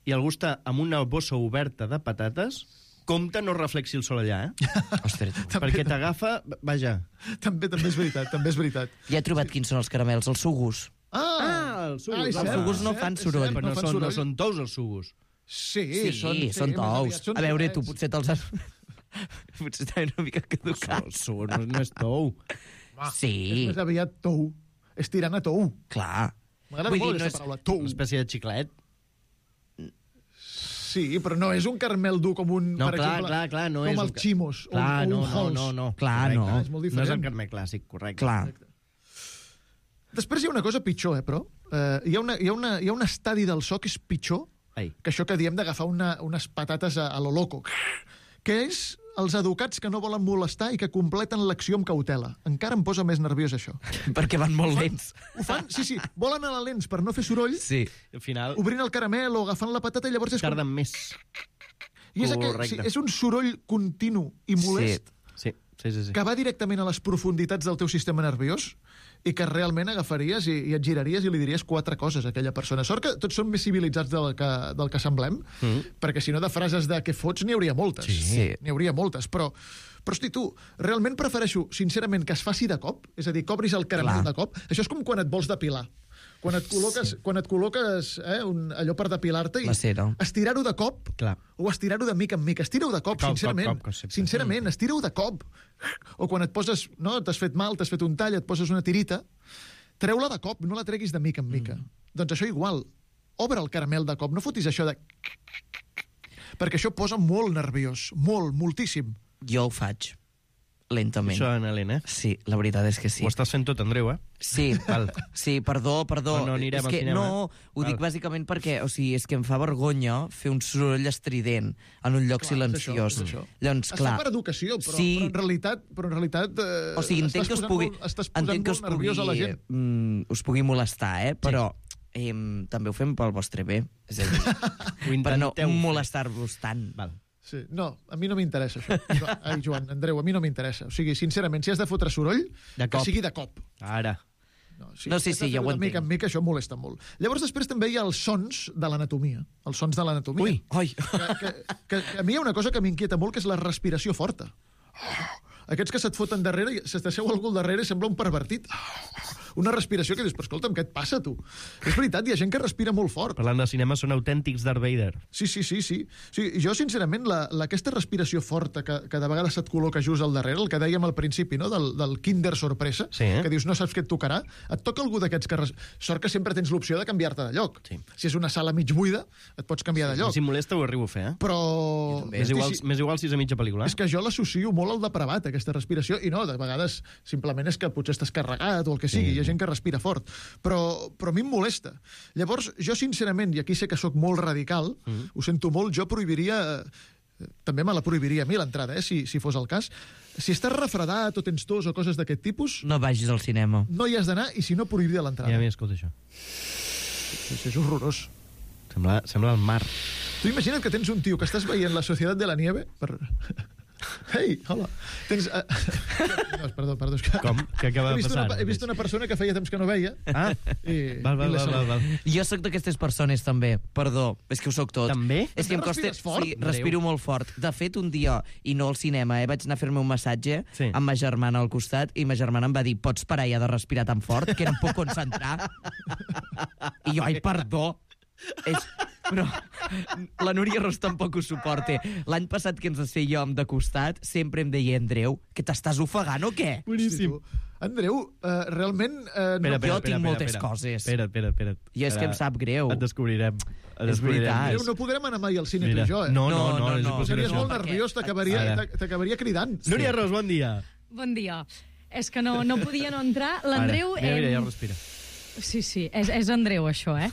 S10: i algú està amb una bossa oberta de patates, compte no reflexi el sol allà, eh?
S11: Ostres,
S10: Perquè t'agafa... Vaja.
S9: També, també és veritat, també és veritat.
S11: ja he trobat quins són els caramels, els sugus.
S9: Ah,
S10: Ah, els sugus.
S9: Ah, és
S11: Els
S9: cert,
S11: sugus no
S9: és
S11: fan
S9: cert, és
S11: soroll.
S9: cert,
S10: Però no,
S9: fan
S10: són, no
S9: soroll.
S10: són tous els sugus.
S9: Sí,
S11: Sí,
S9: són, sí,
S11: són
S9: més
S11: tous.
S9: aviat són
S11: A veure, tu
S9: tallets.
S11: potser te'ls has... potser estaven una mica
S10: El
S11: caducats.
S10: sugus no, no és tou.
S11: Sí,
S9: És més aviat tou. És tirant a tou.
S11: clar.
S9: M'agrada
S11: Vull
S9: molt
S11: dir, no
S9: aquesta
S11: és-
S9: paraula, tou.
S10: Una espècie de xiclet.
S9: Sí, però no és un caramel dur com un,
S10: No,
S9: per
S10: clar,
S9: exemple,
S10: clar, clar, no
S9: com
S10: és
S9: els
S10: un ca-
S9: ximos o,
S10: Clar,
S9: o
S10: no,
S9: un
S10: no,
S9: Halls.
S10: no, no.
S11: Clar, no.
S9: És molt
S10: No és
S9: diferent.
S10: el carmel clàssic, correcte.
S11: Clar.
S9: Després hi ha una cosa pitjor, eh, però. Eh, hi, ha una, hi, ha una, hi ha un estadi del so que és pitjor
S10: Ai.
S9: que això que diem d'agafar una, unes patates a, a lo loco, que és els educats que no volen molestar i que completen l'acció amb cautela. Encara em posa més nerviós, això.
S11: Perquè van molt lents.
S9: Ho fan, sí, sí, volen anar lents per no fer soroll,
S11: Sí.
S10: Al final,
S9: obrint el caramel o agafant la patata i llavors és com...
S10: tarden més.
S9: I és, aquell, sí,
S10: Correcte.
S9: és un soroll continu i molest
S10: Sí, sí, sí. sí.
S9: que va directament a les profunditats del teu sistema nerviós i que realment agafaries i, i et giraries i li diries quatre coses a aquella persona. Sort que tots són més civilitzats del que, del que semblem, mm. perquè si no de frases de què fots n'hi hauria moltes.
S11: Sí.
S9: N'hi hauria moltes, però... Però, hosti, tu, realment prefereixo, sincerament, que es faci de cop, és a dir, que obris el caramel
S11: Clar.
S9: de cop. Això és com quan et vols depilar. Quan et col·loques, sí. quan et col·loques eh, un, allò per depilar-te i
S11: La cera.
S9: estirar-ho de cop
S10: Clar.
S9: o estirar-ho de mica en mica. Estira-ho de cop,
S10: Cop,
S9: sincerament.
S10: cop, cop, concepte.
S9: Sincerament, estira-ho de cop. O quan et poses, no, t'has fet mal, t'has fet un tall, et poses una tirita, treu-la de cop, no la treguis de mica en mica. Mm. Doncs això igual. Obre el caramel de cop, no fotis això de... Perquè això posa molt nerviós, molt, moltíssim.
S11: Jo ho faig. Lentament.
S10: Això, Anna Helena, eh?
S11: Sí, la veritat és que sí.
S10: Ho estàs fent tot, Andreu, eh?
S11: Sí,
S10: Val.
S11: sí, perdó, perdó.
S10: No, no anirem
S11: és
S10: al
S11: que,
S10: cinema,
S11: No,
S10: eh?
S11: ho dic
S10: Val.
S11: bàsicament perquè, o sigui, és que em fa vergonya fer un soroll estrident en un lloc
S9: Clar,
S11: silenciós.
S9: és això, és això.
S11: Llavors,
S9: Es
S11: clar...
S9: fa per educació, però,
S11: sí,
S9: però en realitat, però en realitat eh,
S11: o sigui, entenc
S9: estàs
S11: que us
S9: posant
S11: pugui,
S9: molt, estàs posant
S11: entenc que us
S9: molt nerviós a la
S11: pugui,
S9: gent.
S11: mm, us pugui molestar, eh? Però eh, també ho fem pel vostre bé. És a dir,
S10: Ho
S11: per no
S10: intenteu fer.
S11: molestar-vos tant.
S10: Val.
S9: Sí. No, a mi no m'interessa això. Jo- Ai, Joan, Andreu, a mi no m'interessa. O sigui, sincerament, si has de fotre soroll,
S10: De
S9: que
S10: cop.
S9: sigui de cop.
S10: Ara.
S9: No,
S11: No, sí,
S9: has de
S11: sí, ja
S9: fer-ho
S11: ho
S9: de mica
S11: entenc.
S9: en mica, això molesta molt. Llavors, després també hi ha els sons de l'anatomia. Els sons de l'anatomia.
S11: Ui, oi.
S9: Que, que, que, que a mi hi ha una cosa que m'inquieta molt, que és la respiració forta. Aquests que se't foten darrere, i se t'asseu algú al darrere i sembla un pervertit. Una respiració que dius, però escolta'm, què et passa, tu? És veritat, hi ha gent que respira molt fort.
S10: Parlant de cinema, són autèntics Darth Vader.
S9: Sí, sí, sí, sí. sí jo, sincerament, la, la, aquesta respiració forta que, que de vegades se't col·loca just al darrere, el que dèiem al principi, no?, del, del kinder sorpresa,
S10: Sí, eh?
S9: que dius, no saps què et tocarà, et toca algú d'aquests que... Res... Sort que sempre tens l'opció de canviar-te de lloc.
S10: Sí.
S9: Si és una sala mig buida, et pots canviar de lloc.
S10: Si molesta, ho arribo a fer, eh?
S9: Però...
S10: Més
S9: Hosti,
S10: igual,
S9: sí,
S10: més igual si és a mitja pel·lícula.
S9: és que jo l'associo molt al depravat, aquesta respiració, i no, de vegades simplement és que potser estàs carregat o el que sigui,
S10: Sí.
S9: hi ha gent que respira fort, però, però a mi em molesta. Llavors, jo sincerament, i aquí sé que sóc molt radical, mm. ho sento molt, jo prohibiria... eh, també me la prohibiria a mi l'entrada, eh, si, si fos el cas. Si estàs refredat o tens tos o coses d'aquest tipus,
S11: No vagis al cinema.
S9: no hi has d'anar, i si no, prohibiria l'entrada.
S10: Ja m'hi escolta això.
S9: Sí, sí, és horrorós.
S10: Sembla, sembla el mar.
S9: Tu imagina't que tens un tio que estàs veient La Societat de la Nieve per... Ei, hola. Tens... Uh... No, perdó, perdó. És que...
S10: Com? Què acaba
S9: he
S10: de
S9: vist
S10: passar?
S9: Una, he vist una persona que feia temps que no veia.
S10: Ah,
S9: I,
S10: val, val,
S9: i l'he
S10: val, val,
S9: saludat.
S10: val.
S11: Jo sóc d'aquestes persones, també. Perdó, és que ho sóc tot.
S10: També?
S11: És que em
S9: També
S11: costa...
S9: respires fort?
S11: Sí, respiro molt fort. De fet, un dia, i no al cinema, eh, vaig anar a fer-me un massatge
S10: Sí.
S11: amb ma germana al costat, i ma germana em va dir, pots parar ja de respirar tan fort, que no em puc concentrar. I jo, ai, perdó. És... Però la Núria Ros tampoc ho suporta. L'any passat que ens assèiem de costat, sempre em deia, Andreu, que t'estàs ofegant o què?
S9: Boníssim. Andreu, uh, realment... Uh, no...
S10: Espera, espera,
S11: Jo tinc
S10: espera,
S11: moltes
S10: espera.
S11: coses.
S10: Espera't, espera't, espera't.
S11: I és que em sap greu.
S10: Et descobrirem. Et
S11: És
S10: descobrirem.
S11: veritat.
S9: Andreu, no podrem anar mai al cine,
S10: Mira.
S9: tu i jo, eh?
S10: No, no,
S11: No,
S10: no,
S11: no,
S10: és
S11: no.
S10: impossible.
S9: Series
S11: no,
S9: molt
S11: perquè-
S9: nerviós, t'acabaria
S10: Ara.
S9: t'acabaria cridant.
S10: Núria Ros, bon dia.
S12: Bon dia. És que no, no podia no entrar. L'Andreu...
S10: Ara. Mira, mira,
S12: em-
S10: ja respira.
S12: Sí, sí, és, és Andreu, això, eh?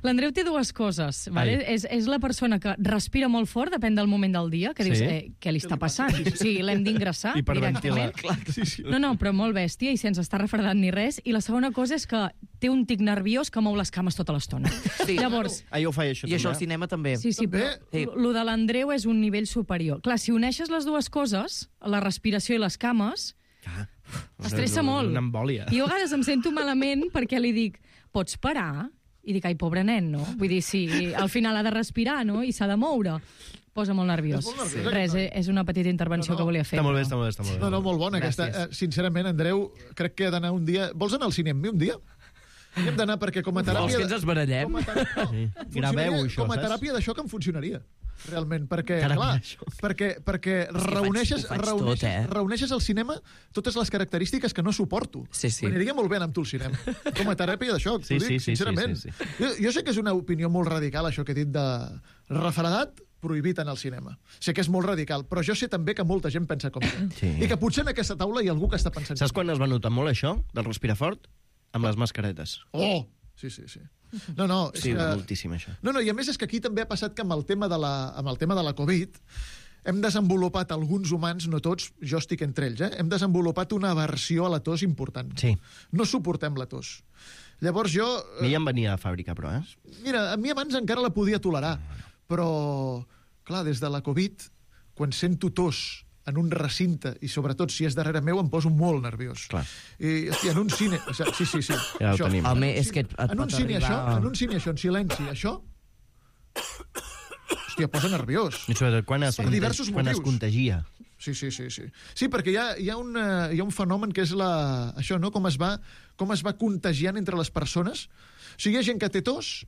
S12: L'Andreu té dues coses. Vale? És, és la persona que respira molt fort, depèn del moment del dia, que dius,
S10: Sí?
S12: eh, què li està passant? Sí, l'hem d'ingressar
S10: Hiperventilar.
S12: directament.
S9: Sí, sí.
S12: No, no, però molt bèstia i sense estar refredat ni res. I la segona cosa és que té un tic nerviós que mou les cames tota l'estona.
S11: Sí.
S12: Llavors,
S10: Ah, jo ho faig, això,
S11: I això al
S10: també.
S11: cinema també.
S12: sí, sí, però
S11: Sí.
S12: lo de l'Andreu és un nivell superior. Clar, si uneixes les dues coses, la respiració i les cames,
S10: Ah,
S12: estressa molt.
S10: Una embòlia.
S12: I jo a vegades em sento malament perquè li dic, pots parar? I dic, ai, pobre nen, no? Vull dir, sí, al final ha de respirar, no? I s'ha de moure. Posa molt nerviós.
S9: És molt nerviós,
S12: Res, eh, és una petita intervenció
S9: No, no.
S12: que volia fer.
S10: Està molt bé, està molt bé, està molt bé.
S9: No, no, molt bona
S11: Gràcies.
S9: aquesta. Eh, sincerament, Andreu, crec que he d'anar un dia... Vols anar al cine amb mi un dia? Hi hem d'anar perquè com a teràpia...
S11: Vols que ens esbarallem?
S9: Com a, ter... no,
S10: Sí.
S9: funcionaria-
S10: Graveu això,
S9: com a
S10: saps?
S9: teràpia d'això que em funcionaria. Realment, perquè,
S10: Teràpia
S9: clar,
S10: d'això.
S9: perquè, perquè
S11: faig-
S9: reuneixes,
S11: ho faig
S9: reuneixes,
S11: tot, eh?
S9: reuneixes al cinema totes les característiques que no suporto.
S11: Sí, sí.
S9: M'aniria molt bé anar amb tu al cinema. Com a teràpia d'això,
S10: Sí,
S9: t'ho
S10: sí,
S9: dic,
S10: sí, sí,
S9: sincerament.
S10: sí, sí.
S9: Jo, jo sé que és una opinió molt radical, això que he dit de refredat, prohibit en el cinema. Sé que és molt radical, però jo sé també que molta gent pensa com jo.
S10: Sí.
S9: I que potser en aquesta taula hi ha algú que està pensant...
S10: Saps quan es va notar molt això, del respirar fort? Amb les mascaretes.
S9: Oh! Sí, sí, sí. No, no, és
S10: Sí,
S9: que...
S10: moltíssim, això.
S9: No, no, i a més és que aquí també ha passat que amb el tema de la, amb el tema de la Covid hem desenvolupat alguns humans, no tots, jo estic entre ells, eh? hem desenvolupat una aversió a la tos important.
S10: Sí.
S9: No suportem la tos. Llavors jo...
S10: A mi ja em venia a fàbrica, però, eh?
S9: Mira, a mi abans encara la podia tolerar, però, clar, des de la Covid, quan sento tos en un recinte, i sobretot si és darrere meu, em poso molt nerviós.
S10: Clar.
S9: I, hosti, en un cine... o sigui, sí, sí, sí.
S10: Ja ho
S9: això.
S10: tenim.
S11: Home,
S9: En un
S11: és que
S9: cine-
S11: et- et
S9: en un
S11: pot
S9: cine
S11: arribar-
S9: això, en un cine això, en silenci, això... Hòstia, posa nerviós.
S10: I sobretot quan es,
S9: Per diversos
S10: quan es
S9: motius.
S10: contagia.
S9: Sí, sí, sí, sí. Sí, perquè hi ha, hi ha, una, hi ha un fenomen que és la, això, no? Com es va, com es va contagiant entre les persones. O sigui, hi ha gent que té tos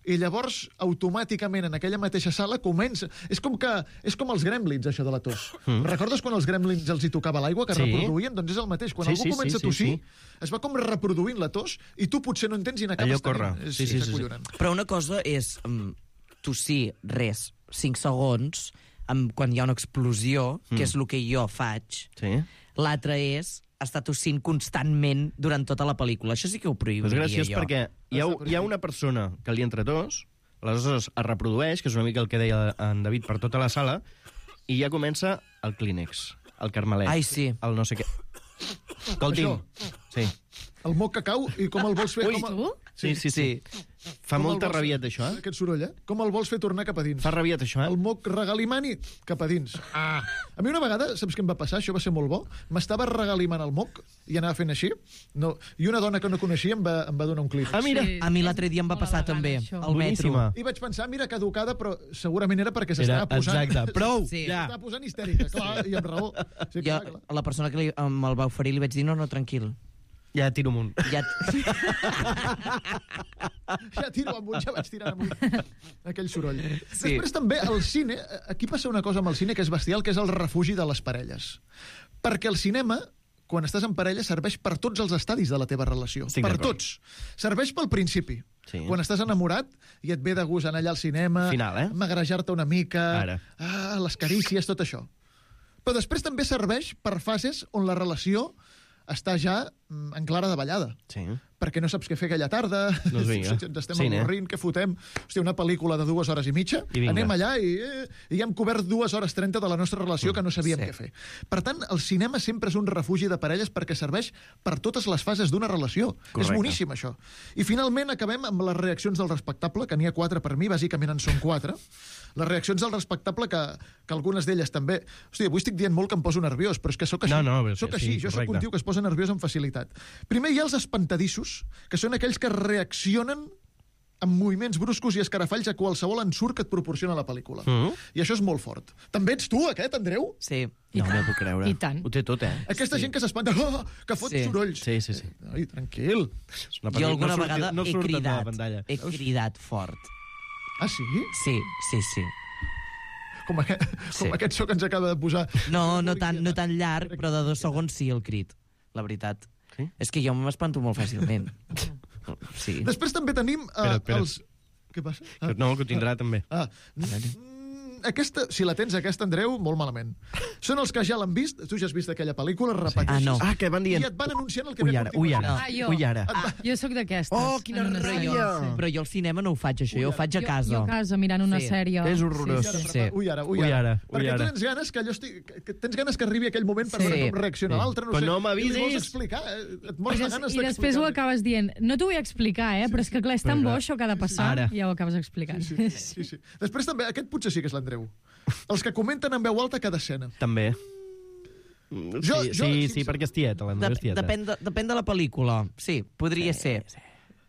S9: i llavors automàticament en aquella mateixa sala comença... És com que és com els gremlins, això de la tos. Mm. Recordes quan els gremlins els hi tocava l'aigua, que
S10: Sí.
S9: reproduïen? Doncs és el mateix. Quan
S10: Sí,
S9: algú
S10: sí,
S9: comença
S10: sí,
S9: a tossir,
S10: sí,
S9: es va com reproduint la tos i tu potser no entens i n'acabes
S10: Allò corre.
S9: tenint. És,
S10: Sí, sí,
S9: és
S10: sí, sí.
S9: acollonant.
S11: Però una cosa és um, tossir, res, cinc segons, um, quan hi ha una explosió,
S10: Mm.
S11: que és el que jo faig.
S10: Sí.
S11: L'altre és estar tossint constantment durant tota la pel·lícula. Això sí que ho
S10: Però és
S11: prohibiria
S10: graciós
S11: jo.
S10: perquè hi ha, hi ha una persona que li entra tos, aleshores es reprodueix, que és una mica el que deia en David, per tota la sala, i ja comença el Kleenex, el Carmelet,
S11: Ai, sí.
S10: el no sé què. Escolti'm. Sí.
S9: El moc que cau i com el vols fer...
S10: Ui,
S9: com el...
S12: tu?
S10: Sí, sí, sí. Fa
S9: Com el
S10: molta
S9: vols-
S10: rabieta, això, eh?
S9: Aquest soroll, eh? Com el vols fer tornar cap a dins?
S10: Fa rabieta, això,
S9: El
S10: eh?
S9: moc regalimani cap a dins. Ah. A mi una vegada, saps què em va passar? Això va ser molt bo. M'estava regalimant el moc i anava fent així. No. I una dona que no coneixia em va, em va donar un clip.
S10: Ah, mira.
S12: Sí.
S11: A mi l'altre dia em va
S12: Molt
S11: passar
S12: elegant,
S11: també,
S12: això.
S11: al metro.
S10: Boníssima.
S9: I vaig pensar, mira, caducada, però segurament era perquè
S10: Era,
S9: s'estava posant...
S10: exacte. Prou,
S11: Sí.
S10: ja.
S9: S'estava posant histèrica, clar, i amb raó. Sí,
S11: Jo,
S9: clar, clar.
S11: a la persona que li, me'l va oferir li vaig dir, no, no, tranquil.
S10: Ja tiro amunt.
S11: Ja...
S9: Ja tiro amunt, ja vaig tirant amunt. Aquell soroll.
S11: Sí.
S9: Després també el cine, aquí passa una cosa amb el cine que és bestial, que és el refugi de les parelles. Perquè el cinema, quan estàs en parella, serveix per tots els estadis de la teva relació.
S10: Estic
S9: per
S10: d'acord.
S9: tots. Serveix pel principi.
S10: Sí.
S9: Quan estàs enamorat i et ve de gust anar allà al cinema,
S10: Final, eh?
S9: magrejar-te una mica,
S10: Ara.
S9: ah, les carícies, tot això. Però després també serveix per fases on la relació està ja mm, en clara davallada.
S10: Sí.
S9: Perquè no saps què fer aquella tarda,
S10: Doncs vinga.
S9: ens estem
S10: Cine.
S9: avorrint, què fotem? Hòstia, una pel·lícula de dues hores i mitja,
S10: I vinga.
S9: anem allà i, eh, i ja hem cobert dues hores trenta de la nostra relació que no sabíem
S11: Sí.
S9: què fer. Per tant, el cinema sempre és un refugi de parelles perquè serveix per totes les fases d'una relació.
S10: Correcte.
S9: És boníssim, això. I finalment acabem amb les reaccions del respectable, que n'hi ha quatre per mi, bàsicament en són quatre. Les reaccions del respectable, que, que algunes d'elles també... Hòstia, avui estic dient molt que em poso nerviós, però és que sóc així.
S10: No, no, però
S9: soc
S10: sí,
S9: així. Jo sóc
S10: correcte.
S9: un tio que es posa nerviós amb facilitat. Primer hi ha els espantadissos, que són aquells que reaccionen amb moviments bruscos i escarafalls a qualsevol ensurt que et proporciona la pel·lícula.
S10: Mhm.
S9: I això és molt fort. També ets tu, aquest, Andreu?
S11: Sí.
S12: I
S10: No
S12: tant.
S10: m'ho puc creure.
S12: I tant.
S10: Ho té tot, eh?
S9: Aquesta gent que s'espanta, oh, que fot
S11: Sí.
S9: sorolls.
S10: Sí, sí, sí.
S9: Ai, tranquil.
S10: És una
S11: Jo
S10: pel·lícula-
S11: alguna
S10: no surt-
S11: vegada
S10: no
S11: he
S10: surt a la
S11: cridat.
S10: pantalla.
S11: He cridat fort.
S9: Ah, sí?
S11: Sí, sí, sí.
S9: Com, aquest, com
S11: Sí.
S9: aquest so que ens acaba de posar.
S11: No, no tan, no tan llarg, però de dos segons sí el crit. La veritat.
S10: Sí?
S11: És que jo m'espanto molt fàcilment. Sí.
S9: Després també tenim uh,
S10: Espera't, espera't.
S9: els... Què passa? Ah,
S10: No, que ho tindrà també.
S9: ah. Mm, Aquesta, si la tens, aquesta, Andreu, molt malament. Són els que ja l'han vist, tu ja has vist aquella pel·lícula, repeteixes.
S11: Ah, no.
S10: Ah, que van dient...
S9: I et van anunciant el que
S10: Ui,
S9: ve a
S10: ara, ui,
S9: continuació.
S10: ara,
S12: Ah, jo.
S10: ui, ara.
S12: Ah, jo sóc d'aquestes.
S10: Oh, quina
S12: en una
S10: ràbia!
S12: sèrie, sí.
S11: Però jo al cinema no ho faig, això, jo ho faig a
S12: Jo,
S11: casa.
S12: jo a casa, mirant una
S11: Sí.
S12: sèrie.
S10: És horrorós.
S12: Sí, sí.
S11: Sí.
S9: Ui, ara, ui,
S10: Ui,
S9: ara.
S10: ara, ui,
S9: Perquè
S10: ara.
S9: tu tens ganes que allò estigui, que tens ganes que arribi aquell moment per
S11: Sí.
S9: veure com reacciona
S10: Sí.
S9: l'altre, no
S10: Però
S9: sé.
S10: no m'avisis.
S9: I li vols explicar, eh? Et mors
S12: I,
S9: de
S12: des,
S9: ganes
S12: I després ho
S9: d'explicar.
S12: acabes dient, no t'ho vull explicar, eh, però és que clar, és tan bo això que ha de passar,
S10: Ara.
S12: i ja ho acabes explicant.
S9: Sí, sí, sí, sí. Després també, aquest potser sí que és l'Andreu. Els que comenten en veu alta cada escena.
S10: També.
S9: Jo-
S10: sí,
S9: jo,
S10: sí, sí,
S9: sincer-
S10: perquè és tieta, l'Andreu és
S11: Dep
S10: tieta.
S11: depèn, de, depèn de la pel·lícula. Sí, podria ser.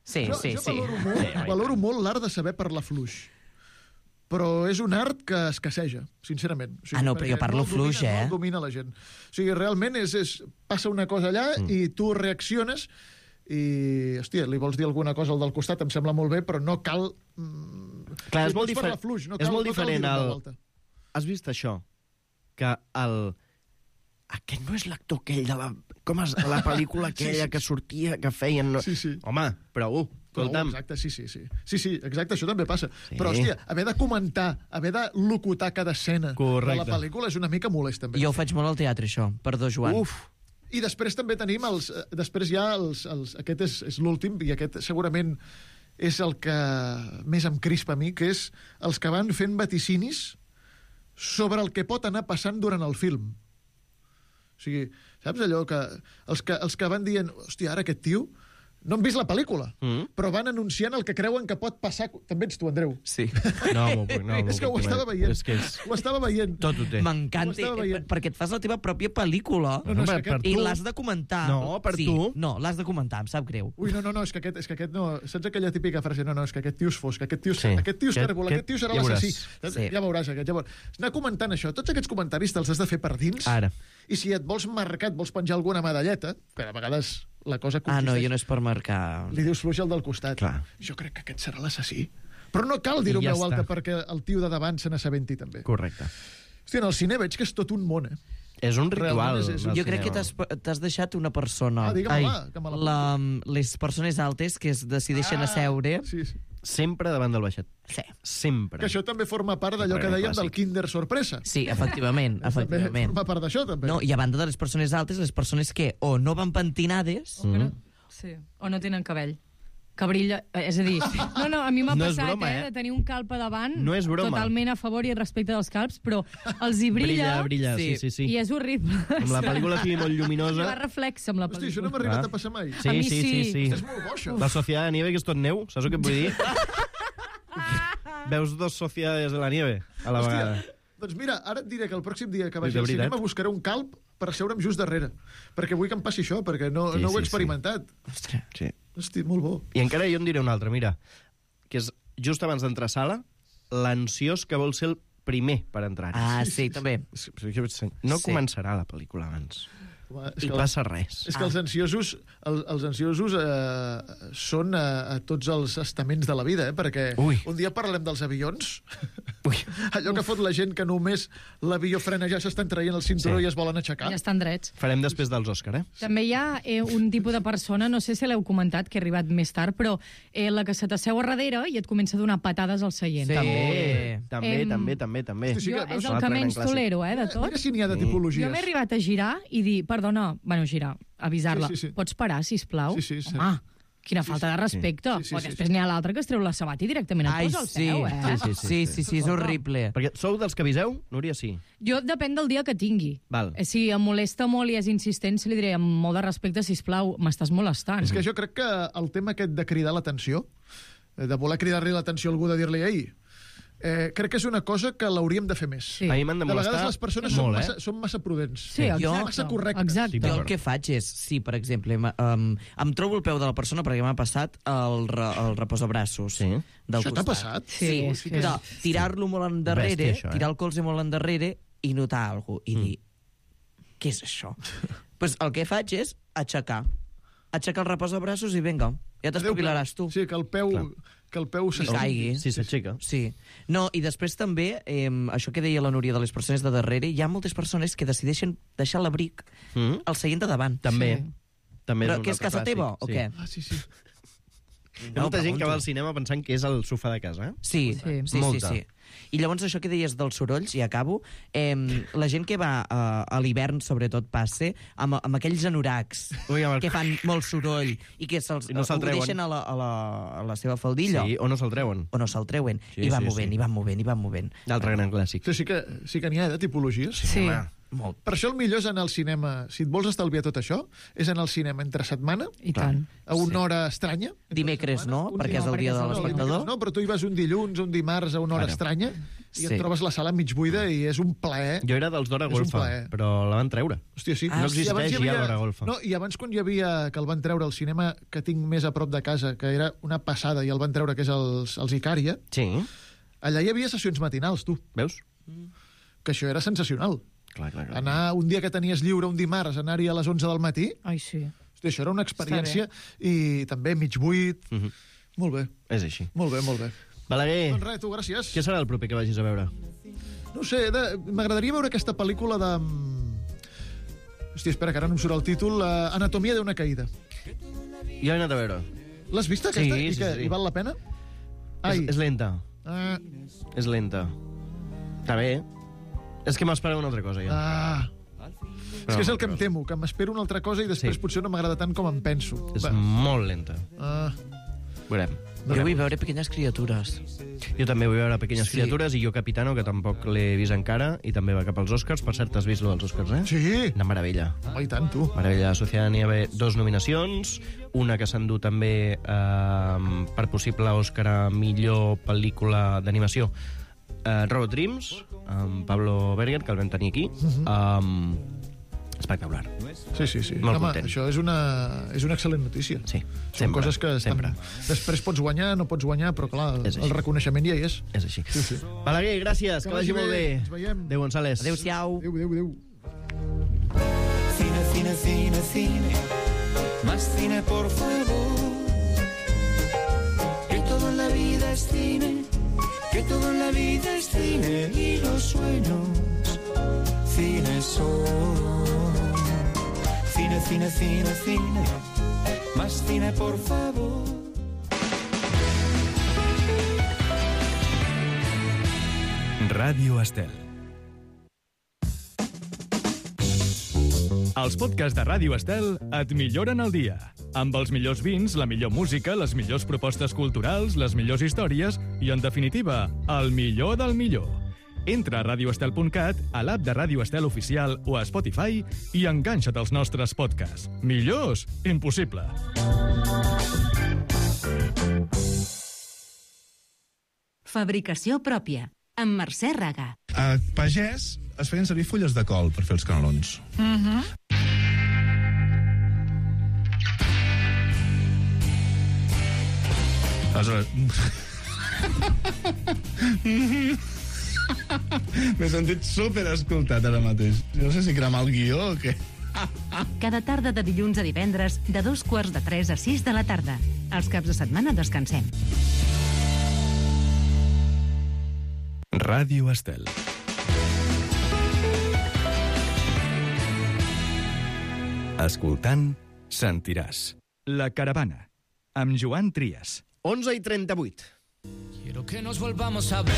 S11: Sí,
S9: Jo,
S11: sí,
S9: jo
S11: sí.
S9: valoro molt, valoro molt l'art de saber parlar fluix. Però és un art que escasseja, sincerament. O sigui,
S11: Ah, no, però jo
S9: perquè
S11: parlo
S9: no el domina,
S11: fluix, eh?
S9: No el domina la gent. O sigui, realment és, és, passa una cosa allà mm. i tu reacciones i, hòstia, li vols dir alguna cosa al del costat, em sembla molt bé, però no cal... Mm,
S10: Clar, és
S9: pots
S10: molt,
S9: parlar
S10: difer...
S9: fluix, no
S10: és
S9: cal,
S10: molt
S9: no cal
S10: diferent.
S9: dir-ho en
S10: El...
S9: veu alta.
S10: Has vist això? Que el... Aquest no és l'actor aquell de la... Com és la pel·lícula aquella
S9: Sí, sí.
S10: que sortia, que feien... No...
S9: Sí, sí.
S10: Home, prou,
S9: Però,
S10: escolta'm.
S9: exacte, sí, sí, sí. Sí, sí, exacte, això també passa.
S10: Sí.
S9: Però, hòstia, haver de comentar, haver de locutar cada escena
S10: Correcte.
S9: de la pel·lícula és una mica molest, també.
S11: Jo ho faig molt al teatre, això. Perdó, Joan.
S10: Uf,
S9: I després també tenim els... eh, Després ja els... els aquest és, és l'últim, i aquest segurament és el que més em crispa a mi, que és els que van fent vaticinis sobre el que pot anar passant durant el film. O sigui, saps allò que... Els que, els que van dient, hòstia, ara aquest tio... No han vist la pel·lícula,
S10: Mm.
S9: però van anunciant el que creuen que pot passar... També ets tu, Andreu.
S11: Sí.
S10: no m'ho puc, no m'ho
S9: és que ho
S10: puc
S9: estava
S10: comer.
S9: veient.
S10: És que és...
S9: Ho estava veient.
S10: Tot ho té.
S11: M'encanta,
S9: Ho estava
S11: eh,
S9: veient.
S11: perquè et fas la teva pròpia pel·lícula
S9: No, no, és
S10: per,
S9: que
S10: per
S9: aquest-
S11: i
S10: tu...
S11: l'has de comentar.
S10: No, per
S11: sí,
S10: tu.
S11: No, l'has de comentar, em sap greu.
S9: Ui, no, no, no, és que aquest, és que aquest no... Saps aquella típica frase? No, no, és que aquest tio és fosc, aquest tio és,
S10: Sí.
S9: aquest tio és
S10: Aquest-
S9: tèrbol,
S10: aquest-
S9: aquest tio serà
S10: ja
S9: l'assassí.
S10: veuràs.
S11: Sí.
S9: Ja veuràs aquest. Llavors, anar comentant això, tots aquests comentaris te'ls has de fer per dins,
S10: Ara.
S9: i si et vols marcar, et vols penjar alguna medalleta, que a vegades la cosa
S11: Ah,
S9: consisteix...
S11: no, jo no és per marcar...
S9: Li dius fluix al del costat.
S10: Clar.
S9: Jo crec que aquest serà l'assassí. Però no cal dir-ho
S10: I ja
S9: en veu alta
S10: està.
S9: perquè el tio de davant se n'assabenti també.
S10: Correcte.
S9: Hòstia, en el cine veig que és tot un món, eh?
S10: És un ritual.
S9: Realment és- és un-
S10: del
S11: Jo crec que
S10: cinema.
S11: t'has t'has deixat una persona.
S9: Ah, digue'm,
S11: Ai,
S9: va, que me la
S11: la, les persones altes que es decideixen
S9: Ah,
S11: a seure.
S9: Sí, sí.
S10: Sempre davant del baixet.
S11: Sí,
S10: Sempre.
S9: Que això també forma part d'allò que
S10: Bueno,
S9: dèiem del
S10: clàssic.
S9: Kinder Sorpresa.
S11: sí efectivament,
S9: També
S11: efectivament.
S9: forma part d'això, també.
S11: No, i a banda de les persones altes, les persones que o no van pentinades...
S10: Mm.
S12: Sí. O no tenen cabell. Que brilla... eh, És a dir, no, no, a mi m'ha
S10: No és
S12: passat,
S10: broma,
S12: eh,
S10: eh?
S12: de tenir un calp a davant,
S10: No és broma.
S12: totalment a favor i respecte dels calps, però els hi brilla,
S10: Brilla, brilla, sí, sí, sí.
S12: i és horrible.
S10: Amb la pel·lícula sigui molt
S12: Va
S10: lluminosa...
S12: reflex amb la
S9: Hosti, això no
S12: pel·lícula.
S9: m'ha arribat
S10: Clar.
S9: a passar mai.
S10: Sí,
S12: A mi
S10: sí, sí,
S12: sí.
S10: sí.
S9: És molt bo, això.
S10: La Sociedad de Nieve, que és tot neu, saps el que et vull dir? Veus dos sociedades de la nieve a la
S9: Hòstia,
S10: vegada.
S9: doncs mira, ara et diré que el pròxim dia que vagi
S10: De
S9: al
S10: veritat?
S9: cinema buscaré un calp per asseure'm just darrere, perquè vull que em passi això, perquè no,
S10: Sí,
S9: no ho
S10: sí,
S9: he experimentat.
S11: Ostres.
S10: Sí.
S9: Hosti, molt bo.
S10: I encara jo en diré un altre, mira, que és just abans d'entrar a sala, l'ansiós que vol ser el primer per entrar.
S11: Ah, sí, també.
S10: No
S11: Sí.
S10: començarà la pel·lícula abans.
S9: Home, és
S10: I
S9: que,
S10: passa res.
S9: és que els ansiosos, el, els ansiosos eh, són a, a tots els estaments de la vida, eh? Perquè
S10: Ui.
S9: un dia parlem dels avions,
S10: Ui.
S9: allò que fot la gent que només l'avió frena ja s'estan traient el cinturó
S10: Sí.
S9: i es volen aixecar.
S12: Ja estan drets.
S10: Farem després dels Òscar, eh?
S12: També hi ha eh, un tipus de persona, no sé si l'heu comentat, que ha arribat més tard, però eh, la que se t'asseu a darrere i et comença a donar patades al seient.
S11: Sí.
S10: També, també,
S12: Em-
S10: també, també, també.
S9: Hosti, sí
S12: Jo,
S9: que veus
S12: és el
S10: l'altre
S12: que
S10: gran
S12: menys
S10: clàssic.
S12: tolero, eh, de
S9: Mira,
S12: tot.
S9: mira si n'hi ha de
S10: Sí.
S9: tipologies.
S12: Jo m'he arribat a girar i dir, perdona, bueno, girar, avisar-la.
S9: Sí, sí, sí.
S12: Pots parar, sisplau?
S9: Sí, sí, sí.
S12: Home, quina falta de respecte.
S9: Sí, sí,
S12: o
S9: sí,
S12: després
S9: sí.
S12: n'hi ha l'altre que es treu la sabata i directament et
S11: Ai,
S12: posa al
S11: sí.
S12: peu, eh?
S10: Sí,
S11: Sí, sí, sí, és horrible.
S10: Perquè sou dels que aviseu? Núria, sí.
S12: Jo depèn del dia que tingui.
S10: Val.
S12: Eh, Si em molesta molt i és insistent, se li diré amb molt de respecte, sisplau, m'estàs molestant.
S9: És que jo crec que el tema aquest de cridar l'atenció, eh, de voler cridar-li l'atenció a algú, de dir-li, ei, eh, crec que és una cosa que l'hauríem de fer més.
S12: Sí.
S10: A mi m'han de
S9: De
S10: molestar
S9: vegades les persones són,
S10: molt,
S9: massa,
S10: eh?
S9: són massa prudents.
S12: Sí, exacte.
S11: Jo-
S9: Massa correctes.
S12: Exacte.
S11: Jo el que faig és, si, per exemple, em, um, em trobo el peu de la persona perquè m'ha passat el, re, el reposabraços
S10: Sí.
S11: del
S9: Això t'ha
S11: costat.
S9: passat?
S12: Sí,
S11: Sí,
S12: sí.
S11: de tirar-lo molt endarrere,
S10: Bèstia, això, eh?
S11: tirar el colze molt endarrere i notar alguna cosa i dir, què és això? pues el que faig és aixecar. Aixecar el reposabraços i vinga, ja t'espavilaràs tu.
S9: Sí, que el peu,
S10: Clar.
S9: que el peu
S11: I caigui.
S10: Sí, s'aixeca.
S11: Sí. No, i després també, eh, això que deia la Núria de les persones de darrere, hi ha moltes persones que decideixen deixar l'abric
S10: Mm?
S11: al seient de davant.
S10: També.
S12: Sí.
S10: També
S11: Però
S10: un
S11: què és
S10: altre
S11: casa
S10: clàssic,
S11: teva, o
S10: sí.
S11: què?
S9: Ah, sí, sí.
S10: Hi ha molta gent que va al cinema pensant que és el sofà de casa, eh?
S11: Sí, sí, sí, sí, sí. I llavors això que deies dels sorolls, i acabo, eh, la gent que va a, a l'hivern, sobretot, passe, amb, amb aquells anoracs
S10: Ui, el...
S11: que fan molt soroll i que se'ls
S10: no se
S11: ho deixen a la, a, la, a la seva faldilla.
S10: Sí, o no se'l treuen.
S11: O no se'l treuen.
S10: Sí,
S11: I van
S10: sí,
S11: movent,
S10: sí.
S11: i van movent, i van movent.
S10: D'altre gran clàssic.
S9: Sí, sí que, sí que n'hi ha, de tipologies.
S12: Sí.
S11: Molt.
S9: Per això el millor és anar al cinema, si et vols estalviar tot això, és anar al cinema entre setmana,
S12: I tant.
S9: a una hora estranya.
S11: Dimecres no, perquè és el dia de l'espectador.
S9: No, però tu hi vas un dilluns, un dimarts, a una hora
S10: Ara.
S9: estranya, i
S11: Sí.
S9: et trobes la sala mig buida i és un plaer.
S10: Jo era dels d'hora
S9: És un
S10: golfa,
S9: plaer.
S10: però la van treure.
S9: Hòstia, sí.
S10: Ah, no
S9: I abans
S10: existeix
S9: hi
S10: ja l'hora golfa.
S9: No, i abans quan hi havia, que el van treure al cinema que tinc més a prop de casa, que era una passada, i el van treure, que és els, els Icària,
S10: Sí.
S9: allà hi havia sessions matinals, tu.
S10: Veus?
S9: Que això era sensacional.
S10: Clar, clar, clar.
S9: Anar un dia que tenies lliure, un dimarts, anar-hi a les onze del matí,
S12: Ai, sí.
S9: hòstia, això era una experiència, i també mig buit.
S10: Uh -huh.
S9: Molt bé,
S10: És així.
S9: molt bé, molt bé.
S10: Balaguer,
S9: Doncs res, tu, gràcies.
S10: què serà el proper que vagis a veure?
S9: No ho sé, de- m'agradaria veure aquesta pel·lícula de... Hòstia, espera, que ara no em surt el títol. Uh, Anatomia d'una caïda.
S10: Jo he anat a veure.
S9: L'has vista,
S10: Sí,
S9: aquesta? I,
S10: sí,
S9: que,
S10: sí.
S9: I val la pena?
S10: És, és lenta.
S9: Ah,
S10: És lenta. Està bé. És que m'esperava una altra cosa, ja.
S9: ah. És que és el que em temo, que m'espero una altra cosa i després
S10: Sí.
S9: potser no m'agrada tant com em penso.
S10: És
S9: Va.
S10: molt lenta.
S9: Ah,
S10: Veurem.
S11: Jo vull veure Pequeñas Criatures.
S10: Jo també vull veure Pequeñas
S11: Sí.
S10: Criatures i Jo Capitano, que tampoc l'he vist encara, i també va cap als Oscars. Per cert, has vist lo dels Oscars, eh?
S9: sí?
S10: Una meravella.
S9: Home, i tant, tu.
S10: Meravella. La Sociedad n'hi ha dos nominacions, una que s'endú també eh, per possible Òscar a millor pel·lícula d'animació, eh, Robot Dreams, amb Pablo Berger, que el vam tenir aquí. Um, espectacular.
S9: Sí, sí, sí.
S10: Molt
S9: Home,
S10: content.
S9: això és una, és una excel·lent notícia.
S10: Sí,
S9: Són
S10: sempre,
S9: coses que estan...
S10: sempre.
S9: Després pots guanyar, no pots guanyar, però clar,
S10: És
S9: el
S10: així.
S9: reconeixement ja hi és.
S10: És així.
S9: Sí, sí.
S10: Balaguer, gràcies, que,
S9: Que
S10: vagi
S9: vagi
S10: molt
S9: bé.
S10: bé.
S9: Ens veiem.
S10: Adéu, González.
S11: Adéu-siau.
S9: Adéu, adéu, adéu.
S13: Cine, cine, cine, cine, más cine por favor. Que todo en la vida es cine, que todo en la vida es cine y los sueños cine son. Cine, cine, cine, cine, más cine por favor.
S1: Ràdio Estel. Els podcasts de Ràdio Estel et milloren el dia. Amb els millors vins, la millor música, les millors propostes culturals, les millors històries i, en definitiva, el millor del millor. Entra a radio estel punt cat, a l'app de Ràdio Estel oficial o a Spotify i enganxa't als nostres podcasts. Millors? Impossible.
S7: Fabricació pròpia, amb Mercè Raga.
S14: A pagès es feien servir fulles de col per fer els canelons.
S12: Mhm.
S14: Aleshores... M'he sentit super escoltat ara mateix. No sé si cremar el guió o què.
S7: Cada tarda de dilluns a divendres, de dos quarts de tres a sis de la tarda. Els caps de setmana descansem.
S1: Ràdio Estel. Escoltant, sentiràs. La caravana, amb Joan Trias.
S10: onze i trenta-vuit.
S13: Quiero que nos volvamos a ver.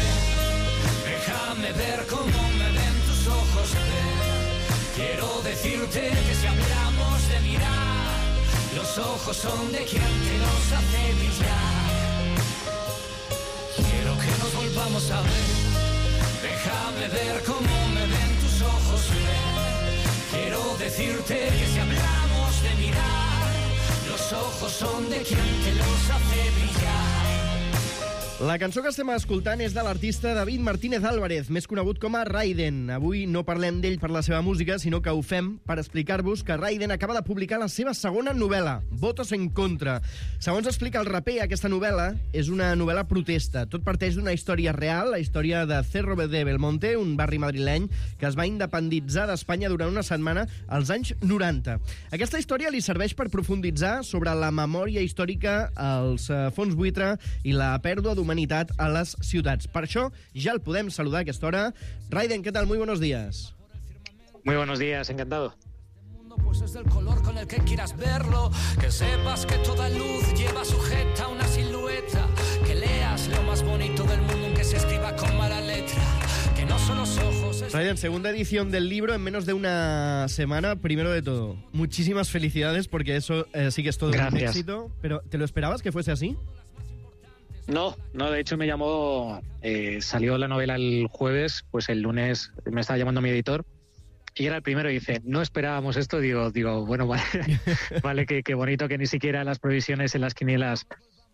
S13: Déjame ver cómo me ven tus ojos ver. Quiero decirte que si hablamos de mirar, los ojos son de quien te los hace brillar. Quiero que nos volvamos a ver. Déjame ver cómo me ven tus ojos ver. Quiero decirte que si hablamos de mirar, los ojos son de quien te los hace brillar.
S10: La cançó que estem escoltant és de l'artista David Martínez Álvarez, més conegut com a Raiden. Avui no parlem d'ell per la seva música, sinó que ho fem per explicar-vos que Raiden acaba de publicar la seva segona novel·la, Votos en contra. Segons explica el raper, aquesta novel·la és una novel·la protesta. Tot parteix d'una història real, la història de Cerro de Belmonte, un barri madrileny que es va independitzar d'Espanya durant una setmana als anys noranta. Aquesta història li serveix per profunditzar sobre la memòria històrica, els fons buitre i la pèrdua d'humanitat a les ciutats. Per això ja el podem saludar a aquesta hora. Raiden, ¿qué tal? Muy buenos días.
S15: Muy buenos días, encantado.
S13: pues es del color con el que quieras verlo. Que sepas que toda luz lleva sujeta una silueta. Que leas lo más bonito del mundo aunque se escriba con mala letra. Que no son los ojos... Es...
S10: Ryan, segunda edición del libro en menos de una semana. Primero de todo, muchísimas felicidades porque eso eh, sí que es todo
S15: Gracias.
S10: un éxito. Pero ¿te lo esperabas que fuese así?
S15: No, no, de hecho me llamó, eh, salió la novela el jueves, pues el lunes me estaba llamando mi editor y era el primero y dice, no esperábamos esto, digo, digo bueno, vale, vale que, que bonito que ni siquiera las previsiones en las quinielas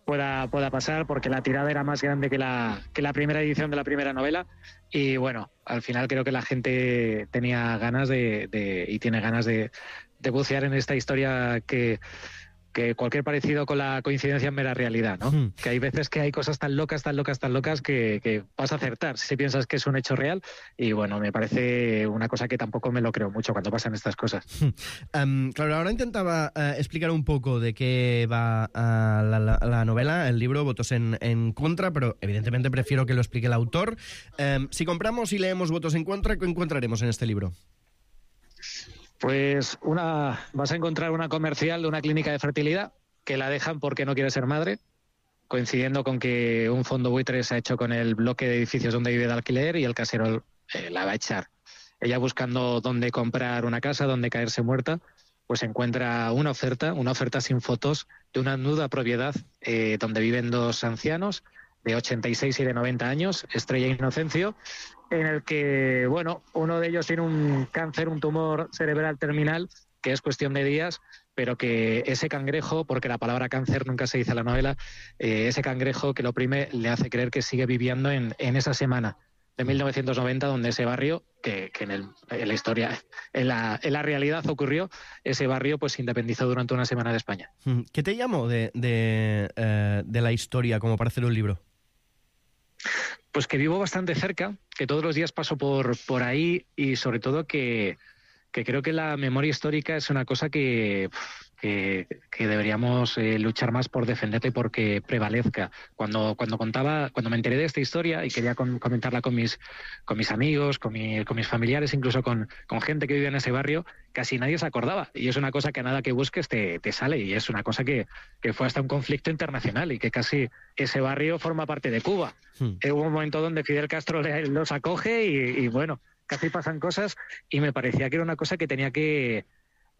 S15: pueda, pueda pasar, porque la tirada era más grande que la, que la primera edición de la primera novela y bueno, al final creo que la gente tenía ganas de, de y tiene ganas de, de bucear en esta historia que... que cualquier parecido con la coincidencia es mera realidad, ¿no? Mm. Que hay veces que hay cosas tan locas, tan locas, tan locas que, que vas a acertar si piensas que es un hecho real. Y bueno, me parece una cosa que tampoco me lo creo mucho cuando pasan estas cosas.
S10: Um, claro, ahora intentaba uh, explicar un poco de qué va uh, la, la, la novela, el libro, Votos en, en contra, pero evidentemente prefiero que lo explique el autor. Um, si compramos y leemos Votos en contra, ¿qué encontraremos en este libro?
S15: Pues una, vas a encontrar una comercial de una clínica de fertilidad que la dejan porque no quiere ser madre, coincidiendo con que un fondo buitre se ha hecho con el bloque de edificios donde vive de alquiler y el casero eh, la va a echar. Ella buscando dónde comprar una casa, dónde caerse muerta, pues encuentra una oferta, una oferta sin fotos de una nuda propiedad eh, donde viven dos ancianos de ochenta y seis y de noventa años, Estrella e Inocencio, en el que, bueno, uno de ellos tiene un cáncer, un tumor cerebral terminal, que es cuestión de días, pero que ese cangrejo, porque la palabra cáncer nunca se dice en la novela, eh, ese cangrejo que lo oprime le hace creer que sigue viviendo en, en esa semana de mil novecientos noventa, donde ese barrio, que, que en, el, en la historia, en la, en la realidad ocurrió, ese barrio pues se independizó durante una semana de España.
S10: ¿Qué te llamó de, de, eh, de la historia como para hacer un libro?
S15: Pues que vivo bastante cerca, que todos los días paso por, por ahí y sobre todo que, que creo que la memoria histórica es una cosa que, que, que deberíamos eh, luchar más por defenderla y por que prevalezca. Cuando, cuando contaba, cuando me enteré de esta historia y quería con, comentarla con mis, con mis amigos, con, mi, con mis familiares, incluso con, con gente que vive en ese barrio, casi nadie se acordaba. Y es una cosa que a nada que busques te, te sale y es una cosa que, que fue hasta un conflicto internacional y que casi ese barrio forma parte de Cuba. Hmm. Hubo un momento donde Fidel Castro le, los acoge y, y bueno, casi pasan cosas y me parecía que era una cosa que tenía que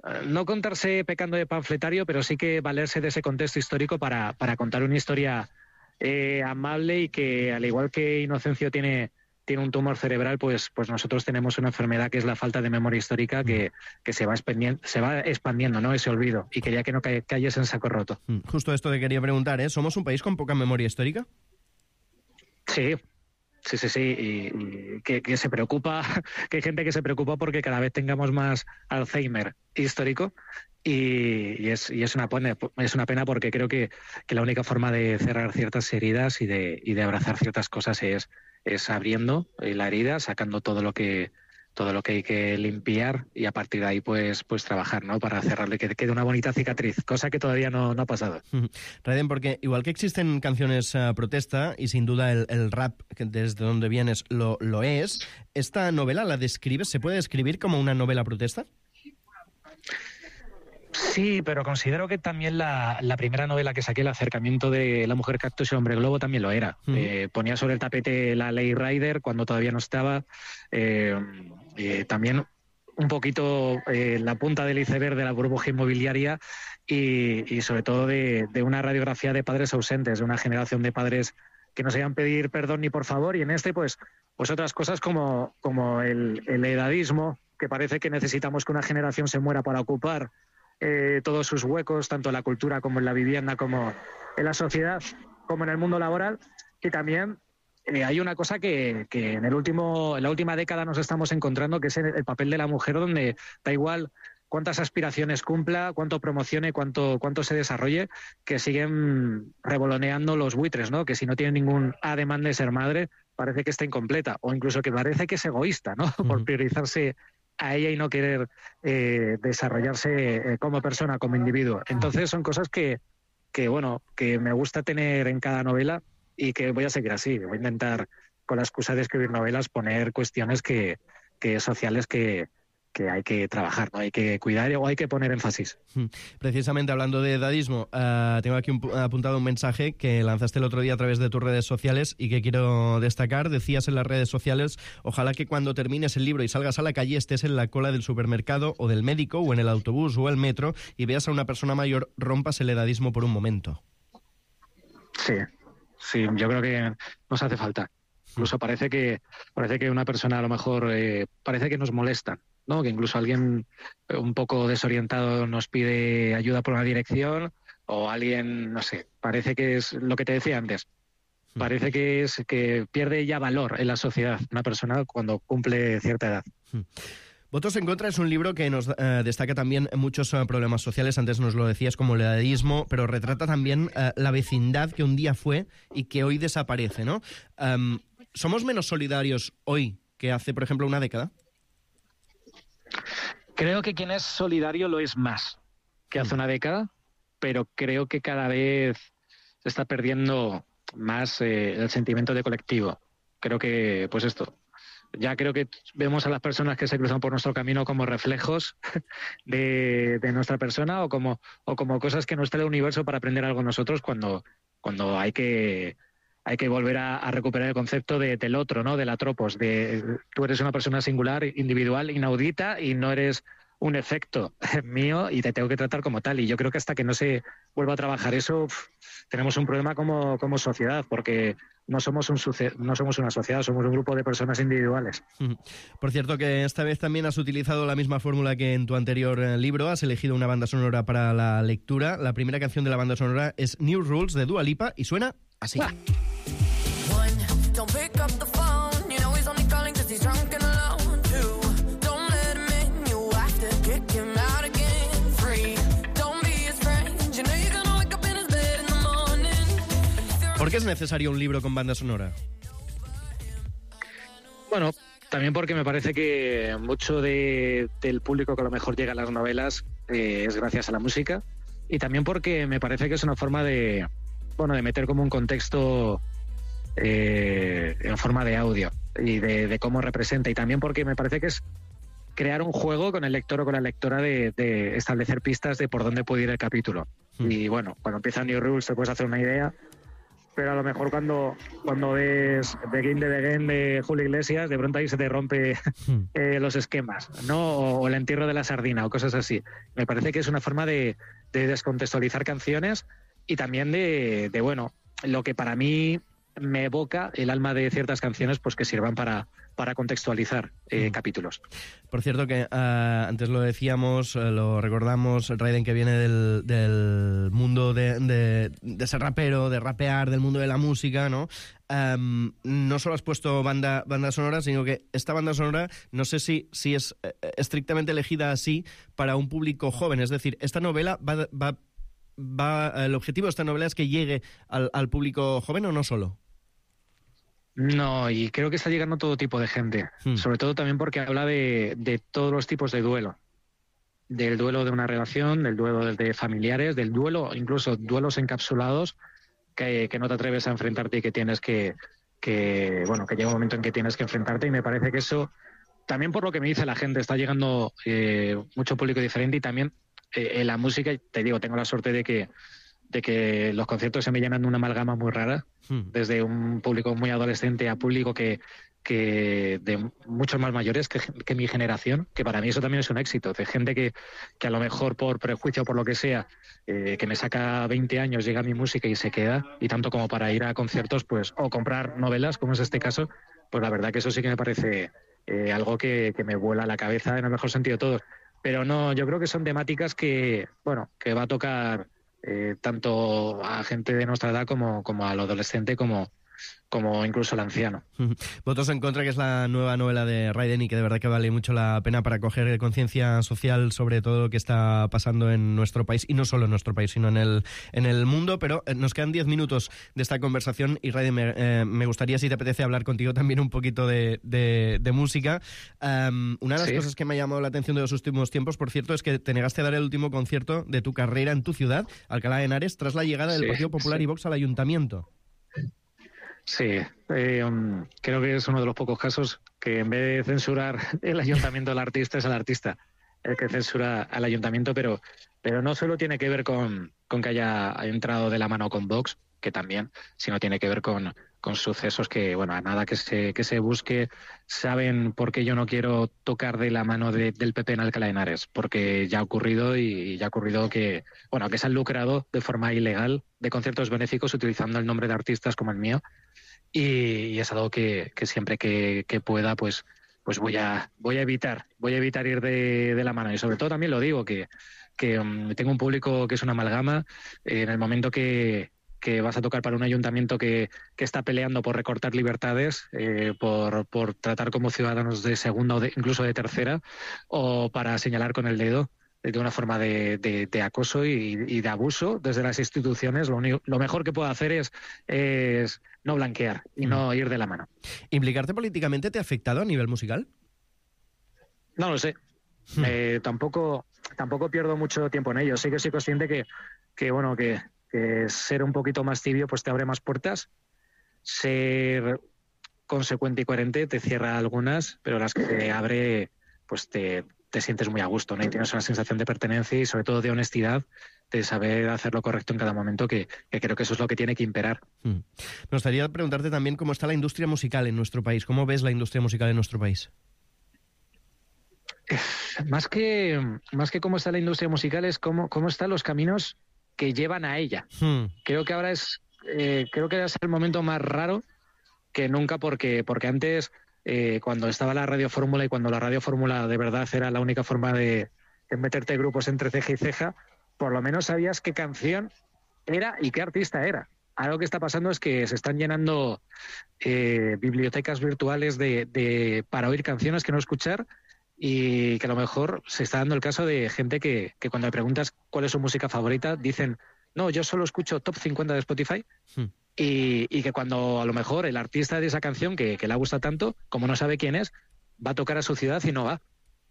S15: uh, no contarse pecando de panfletario, pero sí que valerse de ese contexto histórico para, para contar una historia eh, amable y que, al igual que Inocencio tiene, tiene un tumor cerebral, pues, pues nosotros tenemos una enfermedad que es la falta de memoria histórica que, que se va expandiendo, se va expandiendo, ¿no? Ese olvido, y quería que no ca cayese en saco roto.
S10: Justo esto te quería preguntar, ¿eh? ¿Somos un país con poca memoria histórica?
S15: Sí, sí, sí, sí, y, y que, que se preocupa, que hay gente que se preocupa porque cada vez tengamos más Alzheimer histórico y, y, es, y es, una pena, es una pena porque creo que, que la única forma de cerrar ciertas heridas y de, y de abrazar ciertas cosas es, es abriendo la herida, sacando todo lo que todo lo que hay que limpiar y a partir de ahí pues pues trabajar, ¿no? Para cerrarle, que quede una bonita cicatriz, cosa que todavía no, no ha pasado.
S10: Raiden, porque igual que existen canciones uh, protesta y sin duda el, el rap, que desde donde vienes, lo, lo es, ¿esta novela la describes, se puede describir como una novela protesta?
S15: Sí, pero considero que también la, la primera novela que saqué, El acercamiento de la mujer cactus y el hombre globo, también lo era. Mm. Eh, ponía sobre el tapete la ley Rider cuando todavía no estaba. Eh, eh, también un poquito eh, la punta del iceberg de la burbuja inmobiliaria y, y sobre todo de, de una radiografía de padres ausentes, de una generación de padres que no sabían pedir perdón ni por favor. Y en este, pues, pues otras cosas como, como el, el edadismo, que parece que necesitamos que una generación se muera para ocupar Eh, todos sus huecos, tanto en la cultura como en la vivienda, como en la sociedad, como en el mundo laboral. Y también eh, hay una cosa que, que en, el último, en la última década nos estamos encontrando, que es el, el papel de la mujer, donde da igual cuántas aspiraciones cumpla, cuánto promocione, cuánto, cuánto se desarrolle, que siguen revoloneando los buitres, ¿no? Que si no tiene ningún ademán de ser madre, parece que está incompleta, o incluso que parece que es egoísta, ¿no? Uh-huh. Por priorizarse a ella y no querer eh, desarrollarse eh, como persona, como individuo. Entonces son cosas que, que, bueno, que me gusta tener en cada novela y que voy a seguir así. Voy a intentar, con la excusa de escribir novelas, poner cuestiones que, que sociales que, que hay que trabajar, ¿no? Hay que cuidar o hay que poner énfasis.
S10: Precisamente hablando de edadismo, uh, tengo aquí un, apuntado un mensaje que lanzaste el otro día a través de tus redes sociales y que quiero destacar. Decías en las redes sociales: ojalá que cuando termines el libro y salgas a la calle estés en la cola del supermercado o del médico o en el autobús o el metro y veas a una persona mayor, rompas el edadismo por un momento.
S15: Sí, sí, yo creo que nos hace falta. Incluso parece que parece que una persona a lo mejor eh, parece que nos molesta, ¿no? Que incluso alguien un poco desorientado nos pide ayuda por una dirección, o alguien, no sé, parece que es lo que te decía antes. Parece que es que pierde ya valor en la sociedad una persona cuando cumple cierta edad.
S10: Votos en contra es un libro que nos eh, destaca también muchos eh, problemas sociales, antes nos lo decías, como el edadismo, pero retrata también eh, la vecindad que un día fue y que hoy desaparece, ¿no? Um, ¿Somos menos solidarios hoy que hace, por ejemplo, una década?
S15: Creo que quien es solidario lo es más que hace una década, pero creo que cada vez se está perdiendo más eh, el sentimiento de colectivo. Creo que, pues esto, ya creo que vemos a las personas que se cruzan por nuestro camino como reflejos de, de nuestra persona o como, o como cosas que nos trae el universo para aprender algo nosotros cuando, cuando hay que... hay que volver a, a recuperar el concepto de, del otro, ¿no? Del atropos, de tú eres una persona singular, individual, inaudita y no eres un efecto mío y te tengo que tratar como tal. Y yo creo que hasta que no se vuelva a trabajar eso, uf, tenemos un problema como, como sociedad, porque no somos, un no somos una sociedad, somos un grupo de personas individuales.
S10: Por cierto, que esta vez también has utilizado la misma fórmula que en tu anterior libro, has elegido una banda sonora para la lectura. La primera canción de la banda sonora es New Rules de Dua Lipa y suena así. ¡Buah!
S16: Don't pick up the phone, you know he's only calling cause he's drunk and alone. Two, don't let him in, you have to kick him out again. Three, don't be his friend, you know you're gonna wake up in his bed in the morning.
S10: ¿Por qué es necesario un libro con banda sonora?
S15: Bueno, también porque me parece que mucho de, del público que a lo mejor llega a las novelas eh, es gracias a la música, y también porque me parece que es una forma de, bueno, de meter como un contexto Eh, en forma de audio y de, de cómo representa, y también porque me parece que es crear un juego con el lector o con la lectora de, de establecer pistas de por dónde puede ir el capítulo. Mm. Y bueno, cuando empieza New Rules te puedes hacer una idea, pero a lo mejor cuando, cuando ves Begin the Begin de Julio Iglesias, de pronto ahí se te rompe mm. eh, los esquemas, ¿no? O, o el entierro de la sardina o cosas así. Me parece que es una forma de, de descontextualizar canciones y también de, de, bueno, lo que para mí me evoca el alma de ciertas canciones, pues que sirvan para, para contextualizar eh, mm. capítulos.
S10: Por cierto que uh, antes lo decíamos, uh, lo recordamos, Raiden, que viene del, del mundo de, de, de ser rapero, de rapear, del mundo de la música, ¿no? Um, no solo has puesto banda, banda sonora, sino que esta banda sonora no sé si, si es eh, estrictamente elegida así para un público joven, es decir, esta novela va... va, va el objetivo de esta novela es que llegue al, al público joven, ¿o no solo?
S15: No, y creo que está llegando todo tipo de gente, hmm. sobre todo también porque habla de, de todos los tipos de duelo, del duelo de una relación, del duelo de familiares, del duelo, incluso duelos encapsulados que, que no te atreves a enfrentarte y que tienes que, que, bueno, que llega un momento en que tienes que enfrentarte, y me parece que eso, también por lo que me dice la gente, está llegando eh, mucho público diferente, y también eh, en la música, te digo, tengo la suerte de que de que los conciertos se me llenan de una amalgama muy rara, hmm. desde un público muy adolescente a público que, que de muchos más mayores que, que mi generación, que para mí eso también es un éxito, de gente que, que a lo mejor por prejuicio o por lo que sea, eh, que me saca veinte años, llega a mi música y se queda, y tanto como para ir a conciertos, pues, o comprar novelas, como es este caso, pues la verdad que eso sí que me parece eh, algo que, que me vuela la cabeza en el mejor sentido de todos. Pero no, yo creo que son temáticas que, bueno, que va a tocar Eh, tanto a gente de nuestra edad como, como al adolescente, como, como incluso al anciano.
S10: Votos en contra, que es la nueva novela de Raiden y que de verdad que vale mucho la pena para coger conciencia social sobre todo lo que está pasando en nuestro país, y no solo en nuestro país, sino en el, en el mundo. Pero nos quedan diez minutos de esta conversación y Raiden, me, eh, me gustaría, si te apetece, hablar contigo también un poquito de, de, de música. Um, una de las ¿Sí? cosas que me ha llamado la atención de los últimos tiempos, por cierto, es que te negaste a dar el último concierto de tu carrera en tu ciudad, Alcalá de Henares, tras la llegada del sí, Partido Popular sí. y Vox al Ayuntamiento.
S15: Sí, eh, um, creo que es uno de los pocos casos que en vez de censurar el ayuntamiento al artista, es al artista el que censura al ayuntamiento, pero, pero no solo tiene que ver con, con que haya entrado de la mano con Vox, que también, sino tiene que ver con, con sucesos que, bueno, a nada que se, que se busque, saben por qué yo no quiero tocar de la mano de, del P P en Alcalá de Henares, porque ya ha ocurrido y ya ha ocurrido que, bueno, que se han lucrado de forma ilegal de conciertos benéficos utilizando el nombre de artistas como el mío, y, y es algo que, que siempre que, que pueda, pues pues voy a voy a evitar, voy a evitar ir de, de la mano. Y sobre todo también lo digo, que, que um, tengo un público que es una amalgama. Eh, en el momento que, que vas a tocar para un ayuntamiento que, que está peleando por recortar libertades, eh, por, por tratar como ciudadanos de segunda o de, incluso de tercera, o para señalar con el dedo de una forma de, de, de acoso y, y de abuso desde las instituciones, lo, único, lo mejor que puedo hacer es, es no blanquear y no ir de la mano.
S10: ¿Implicarte políticamente te ha afectado a nivel musical?
S15: No lo sé. Hmm. Eh, tampoco, tampoco pierdo mucho tiempo en ello. Sí que soy consciente que, que bueno, que, que ser un poquito más tibio pues te abre más puertas. Ser consecuente y coherente te cierra algunas, pero las que te abre, pues te, te sientes muy a gusto, ¿no? Y tienes una sensación de pertenencia y sobre todo de honestidad, de saber hacer lo correcto en cada momento, que, que creo que eso es lo que tiene que imperar.
S10: Hmm. Me gustaría preguntarte también cómo está la industria musical en nuestro país. ¿Cómo ves la industria musical en nuestro país?
S15: Más que, más que cómo está la industria musical es cómo, cómo están los caminos que llevan a ella. Hmm. Creo que ahora es, eh, creo que es el momento más raro que nunca, porque, porque antes, eh, cuando estaba la Radio Fórmula y cuando la Radio Fórmula de verdad era la única forma de, de meterte grupos entre ceja y ceja, por lo menos sabías qué canción era y qué artista era. Algo que está pasando es que se están llenando eh, bibliotecas virtuales de, de, para oír canciones que no escuchar, y que a lo mejor se está dando el caso de gente que, que cuando le preguntas cuál es su música favorita, dicen, no, yo solo escucho top cincuenta de Spotify, hmm. y, y que cuando a lo mejor el artista de esa canción que, que le gusta tanto, como no sabe quién es, va a tocar a su ciudad y no va.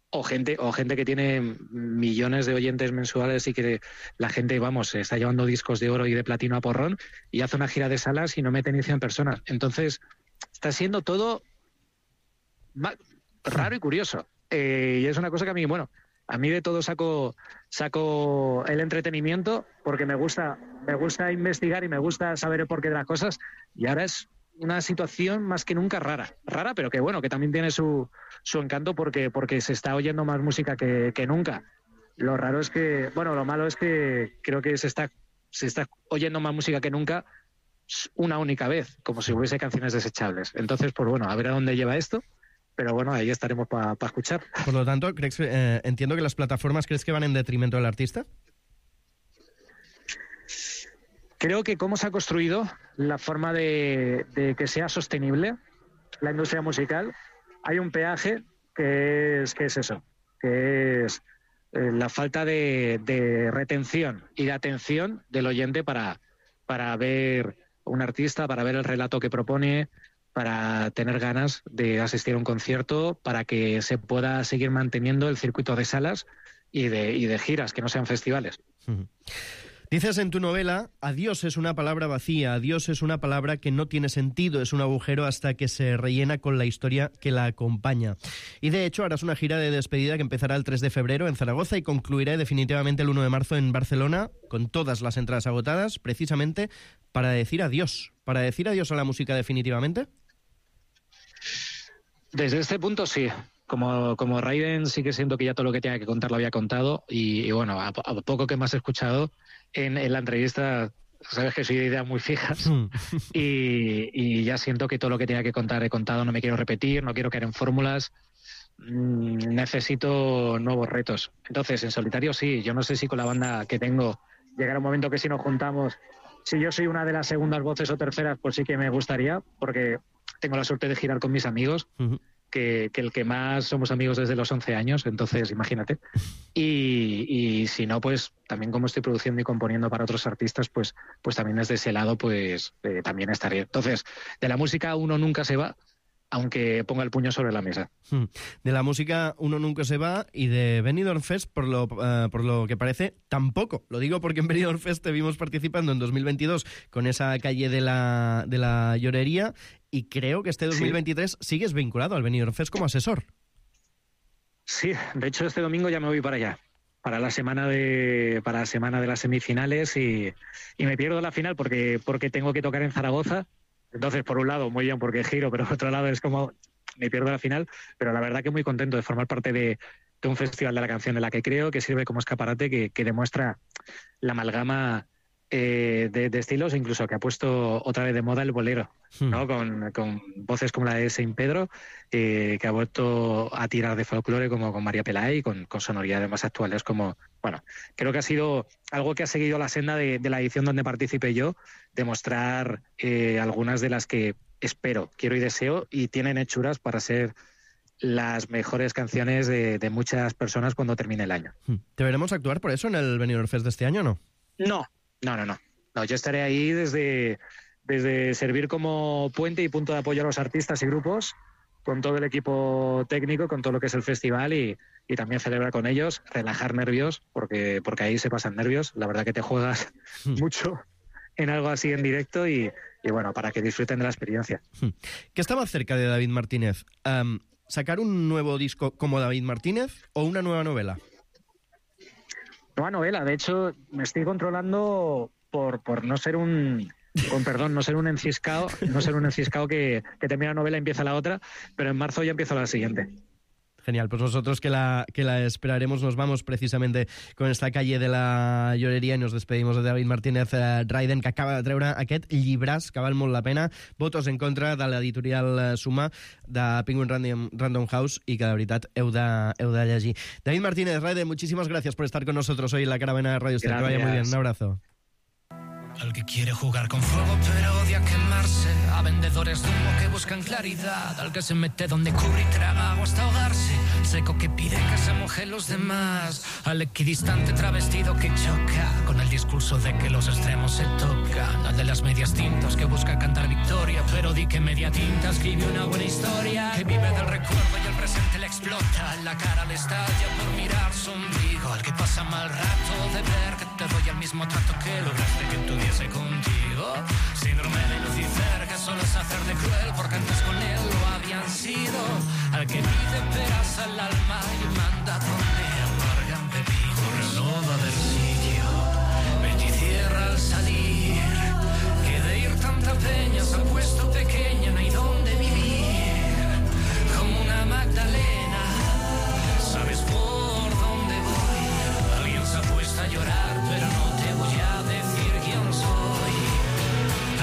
S15: O gente, o gente que tiene millones de oyentes mensuales y que la gente, vamos, está llevando discos de oro y de platino a porrón y hace una gira de salas y no mete ni cien personas. Entonces, está siendo todo raro y curioso. Eh, y es una cosa que a mí, bueno, a mí de todo saco saco el entretenimiento, porque me gusta me gusta investigar y me gusta saber el porqué de las cosas, y ahora es una situación más que nunca rara, rara, pero que bueno, que también tiene su, su encanto porque, porque se está oyendo más música que, que nunca. Lo raro es que, bueno, lo malo es que creo que se está, se está oyendo más música que nunca una única vez, como si hubiese canciones desechables. Entonces, pues bueno, a ver a dónde lleva esto. Pero bueno, ahí estaremos para pa escuchar.
S10: Por lo tanto, ¿crees, eh, entiendo que las plataformas, ¿crees que van en detrimento del artista?
S15: Creo que cómo se ha construido la forma de, de que sea sostenible la industria musical, hay un peaje que es, que es eso, que es eh, la falta de, de retención y de atención del oyente para, para ver un artista, para ver el relato que propone, para tener ganas de asistir a un concierto, para que se pueda seguir manteniendo el circuito de salas y de, y de giras, que no sean festivales.
S10: Uh-huh. Dices en tu novela, adiós es una palabra vacía, adiós es una palabra que no tiene sentido, es un agujero hasta que se rellena con la historia que la acompaña. Y de hecho harás una gira de despedida que empezará el tres de febrero en Zaragoza y concluirá definitivamente el uno de marzo en Barcelona, con todas las entradas agotadas, precisamente para decir adiós. ¿Para decir adiós a la música definitivamente?
S15: Desde este punto sí. Como, como Raiden sí que siento que ya todo lo que tenía que contar lo había contado y, y bueno, a, a poco que más he escuchado en, en la entrevista, sabes que soy de ideas muy fijas y, y ya siento que todo lo que tenía que contar he contado, no me quiero repetir, no quiero caer en fórmulas, mmm, necesito nuevos retos. Entonces, en solitario sí, yo no sé si con la banda que tengo llegará un momento que si nos juntamos, si yo soy una de las segundas voces o terceras, pues sí que me gustaría, porque tengo la suerte de girar con mis amigos, uh-huh. que, que el que más somos amigos desde los once años, entonces imagínate. Y, y si no, pues también como estoy produciendo y componiendo para otros artistas, pues, pues también desde ese lado pues eh, también estaré. Entonces, de la música uno nunca se va aunque ponga el puño sobre la mesa.
S10: De la música uno nunca se va y de Benidorm Fest, por lo, uh, por lo que parece, tampoco. Lo digo porque en Benidorm Fest te vimos participando en dos mil veintidós con esa calle de la, de la llorería y creo que este dos mil veintitrés sí. sigues vinculado al Benidorm Fest como asesor.
S15: Sí, de hecho este domingo ya me voy para allá, para la semana de, para la semana de las semifinales y, y me pierdo la final porque, porque tengo que tocar en Zaragoza. Entonces, por un lado, muy bien porque giro, pero por otro lado es como me pierdo la final, pero la verdad que muy contento de formar parte de, de un festival de la canción en la que creo, que sirve como escaparate, que, que demuestra la amalgama eh, de, de estilos, incluso que ha puesto otra vez de moda el bolero, hmm. ¿no? Con, con voces como la de Saint Pedro, eh, que ha vuelto a tirar de folclore como con María Pelay, con, con sonoridades más actuales como... Bueno, creo que ha sido algo que ha seguido la senda de, de la edición donde participé yo, demostrar eh, algunas de las que espero, quiero y deseo, y tienen hechuras para ser las mejores canciones de, de muchas personas cuando termine el año.
S10: ¿Te veremos actuar por eso en el Benidorm Fest de este año o no?
S15: No, no, no, no. no yo estaré ahí desde, desde servir como puente y punto de apoyo a los artistas y grupos, con todo el equipo técnico, con todo lo que es el festival y, y también celebrar con ellos, relajar nervios, porque, porque ahí se pasan nervios. La verdad que te juegas mucho en algo así en directo y, y bueno, para que disfruten de la experiencia.
S10: ¿Qué está más cerca de David Martínez? Um, ¿Sacar un nuevo disco como David Martínez o una nueva novela?
S15: Nueva novela, de hecho me estoy controlando por, por no ser un... Con perdón, no ser un enciscao, no ser un enciscao que, que termina la novela y empieza la otra, pero en marzo ya empiezo la siguiente.
S10: Genial, pues nosotros que la, que la esperaremos, nos vamos precisamente con esta calle de la lloreria i nos despedimos de David Martínez eh, Raiden, que acaba de treure aquest llibràs que val molt la pena, Votos en contra, de l'editorial Suma, de Penguin Random, Random House, y que de veritat heu de, heu de llegir. David Martínez, Raiden, muchísimas gracias por estar con nosotros hoy en la Caravana de Radio Esther. Que vaya muy bien, un abrazo.
S13: Al que quiere jugar con fuego pero odia quemarse, a vendedores de humo que buscan claridad, al que se mete donde cubre y traga agua hasta ahogarse, seco que pide que se mojen los demás, al equidistante travestido que choca con el discurso de que los extremos se tocan, al de las medias tintas que busca cantar victoria, pero di que media tinta escribe una buena historia, que vive del recuerdo y el presente le explota, en la cara le estalla por mirar su ombligo, al que pasa mal rato de ver que te doy el mismo trato que lograste que tu contigo, síndrome de Lucifer que solo es hacer de cruel porque antes con él lo habían sido, al que pide peras al alma y manda donde amargan pepino, no va a haber sitio, vete y cierra al salir, que de ir tanta peña se ha puesto pequeña, no hay donde vivir, como una Magdalena, sabes por dónde voy, alguien se ha puesto a llorar pero no te voy a decir soy,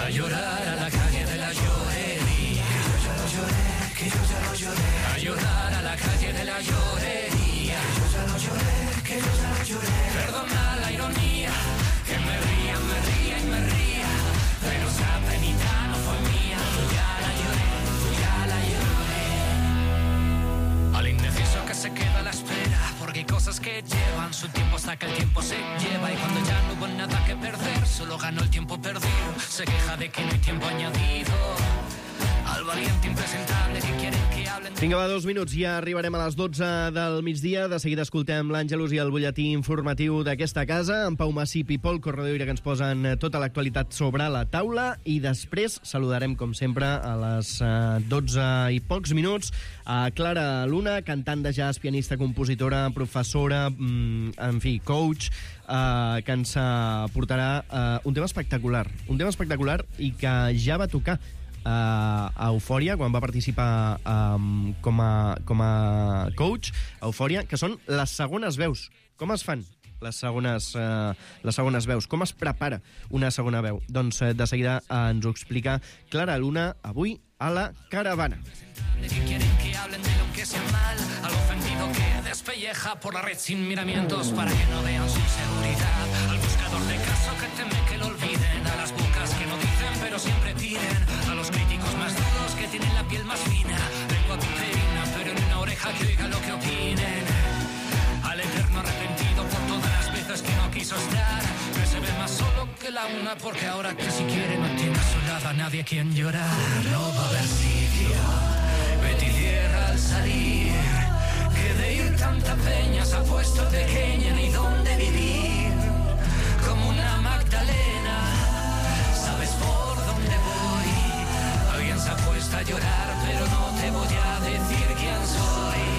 S13: a llorar a la calle de la llorería, que yo ya lo lloré, que yo ya lo lloré, a llorar a la calle de la llorería, que yo ya lo lloré, que yo ya lo lloré, perdona la ironía, que me ría, me ría y me ría, pero esa penita no fue mía, yo ya la lloré, yo ya la lloré, al indeciso que se queda a la espera, porque hay cosas que llevan su tiempo hasta que el tiempo se lleva y cuando ya no hubo nada que perder, solo ganó el tiempo perdido, se queja de que no hay tiempo añadido, al valiente impresentable que quieren que hablen...
S10: Vinga, va, dos minuts, ja arribarem a les dotze del migdia, de seguida escoltem l'Àngelus i el butlletí informatiu d'aquesta casa, amb Pau Massip i Pol Corredoira, que ens posen tota l'actualitat sobre la taula, i després saludarem, com sempre, a les dotze i pocs minuts, a Clara Luna, cantant de jazz, pianista, compositora, professora, en fi, coach, Uh, que ens uh, portarà uh, un tema espectacular, un tema espectacular i que ja va tocar uh, a Eufòria quan va participar um, com, a, com a coach a Eufòria, que són les segones veus. Com es fan les segones, uh, les segones veus? Com es prepara una segona veu? Doncs uh, de seguida uh, ens ho explica Clara Luna avui a la Caravana.
S13: Que quieren que hablen de lo que sea mal, al ofendido que despelleja por la red sin miramientos para que no vean su seguridad, al buscador de caso que teme que lo olviden, a las bocas que no dicen pero siempre piden, a los críticos más duros que tienen la piel más fina, lengua piperina pero en una oreja que oiga lo que opinen, al eterno arrepentido por todas las veces que no quiso estar, que se ve más solo que la una porque ahora que si quiere no tiene a su lado a nadie quien llorar, no va a haber sitio, Betty cierra al salir, que de ir tanta peña se ha puesto pequeña ni dónde vivir. Como una Magdalena, sabes por dónde voy. Alguien se ha puesto a llorar, pero no te voy a decir quién soy.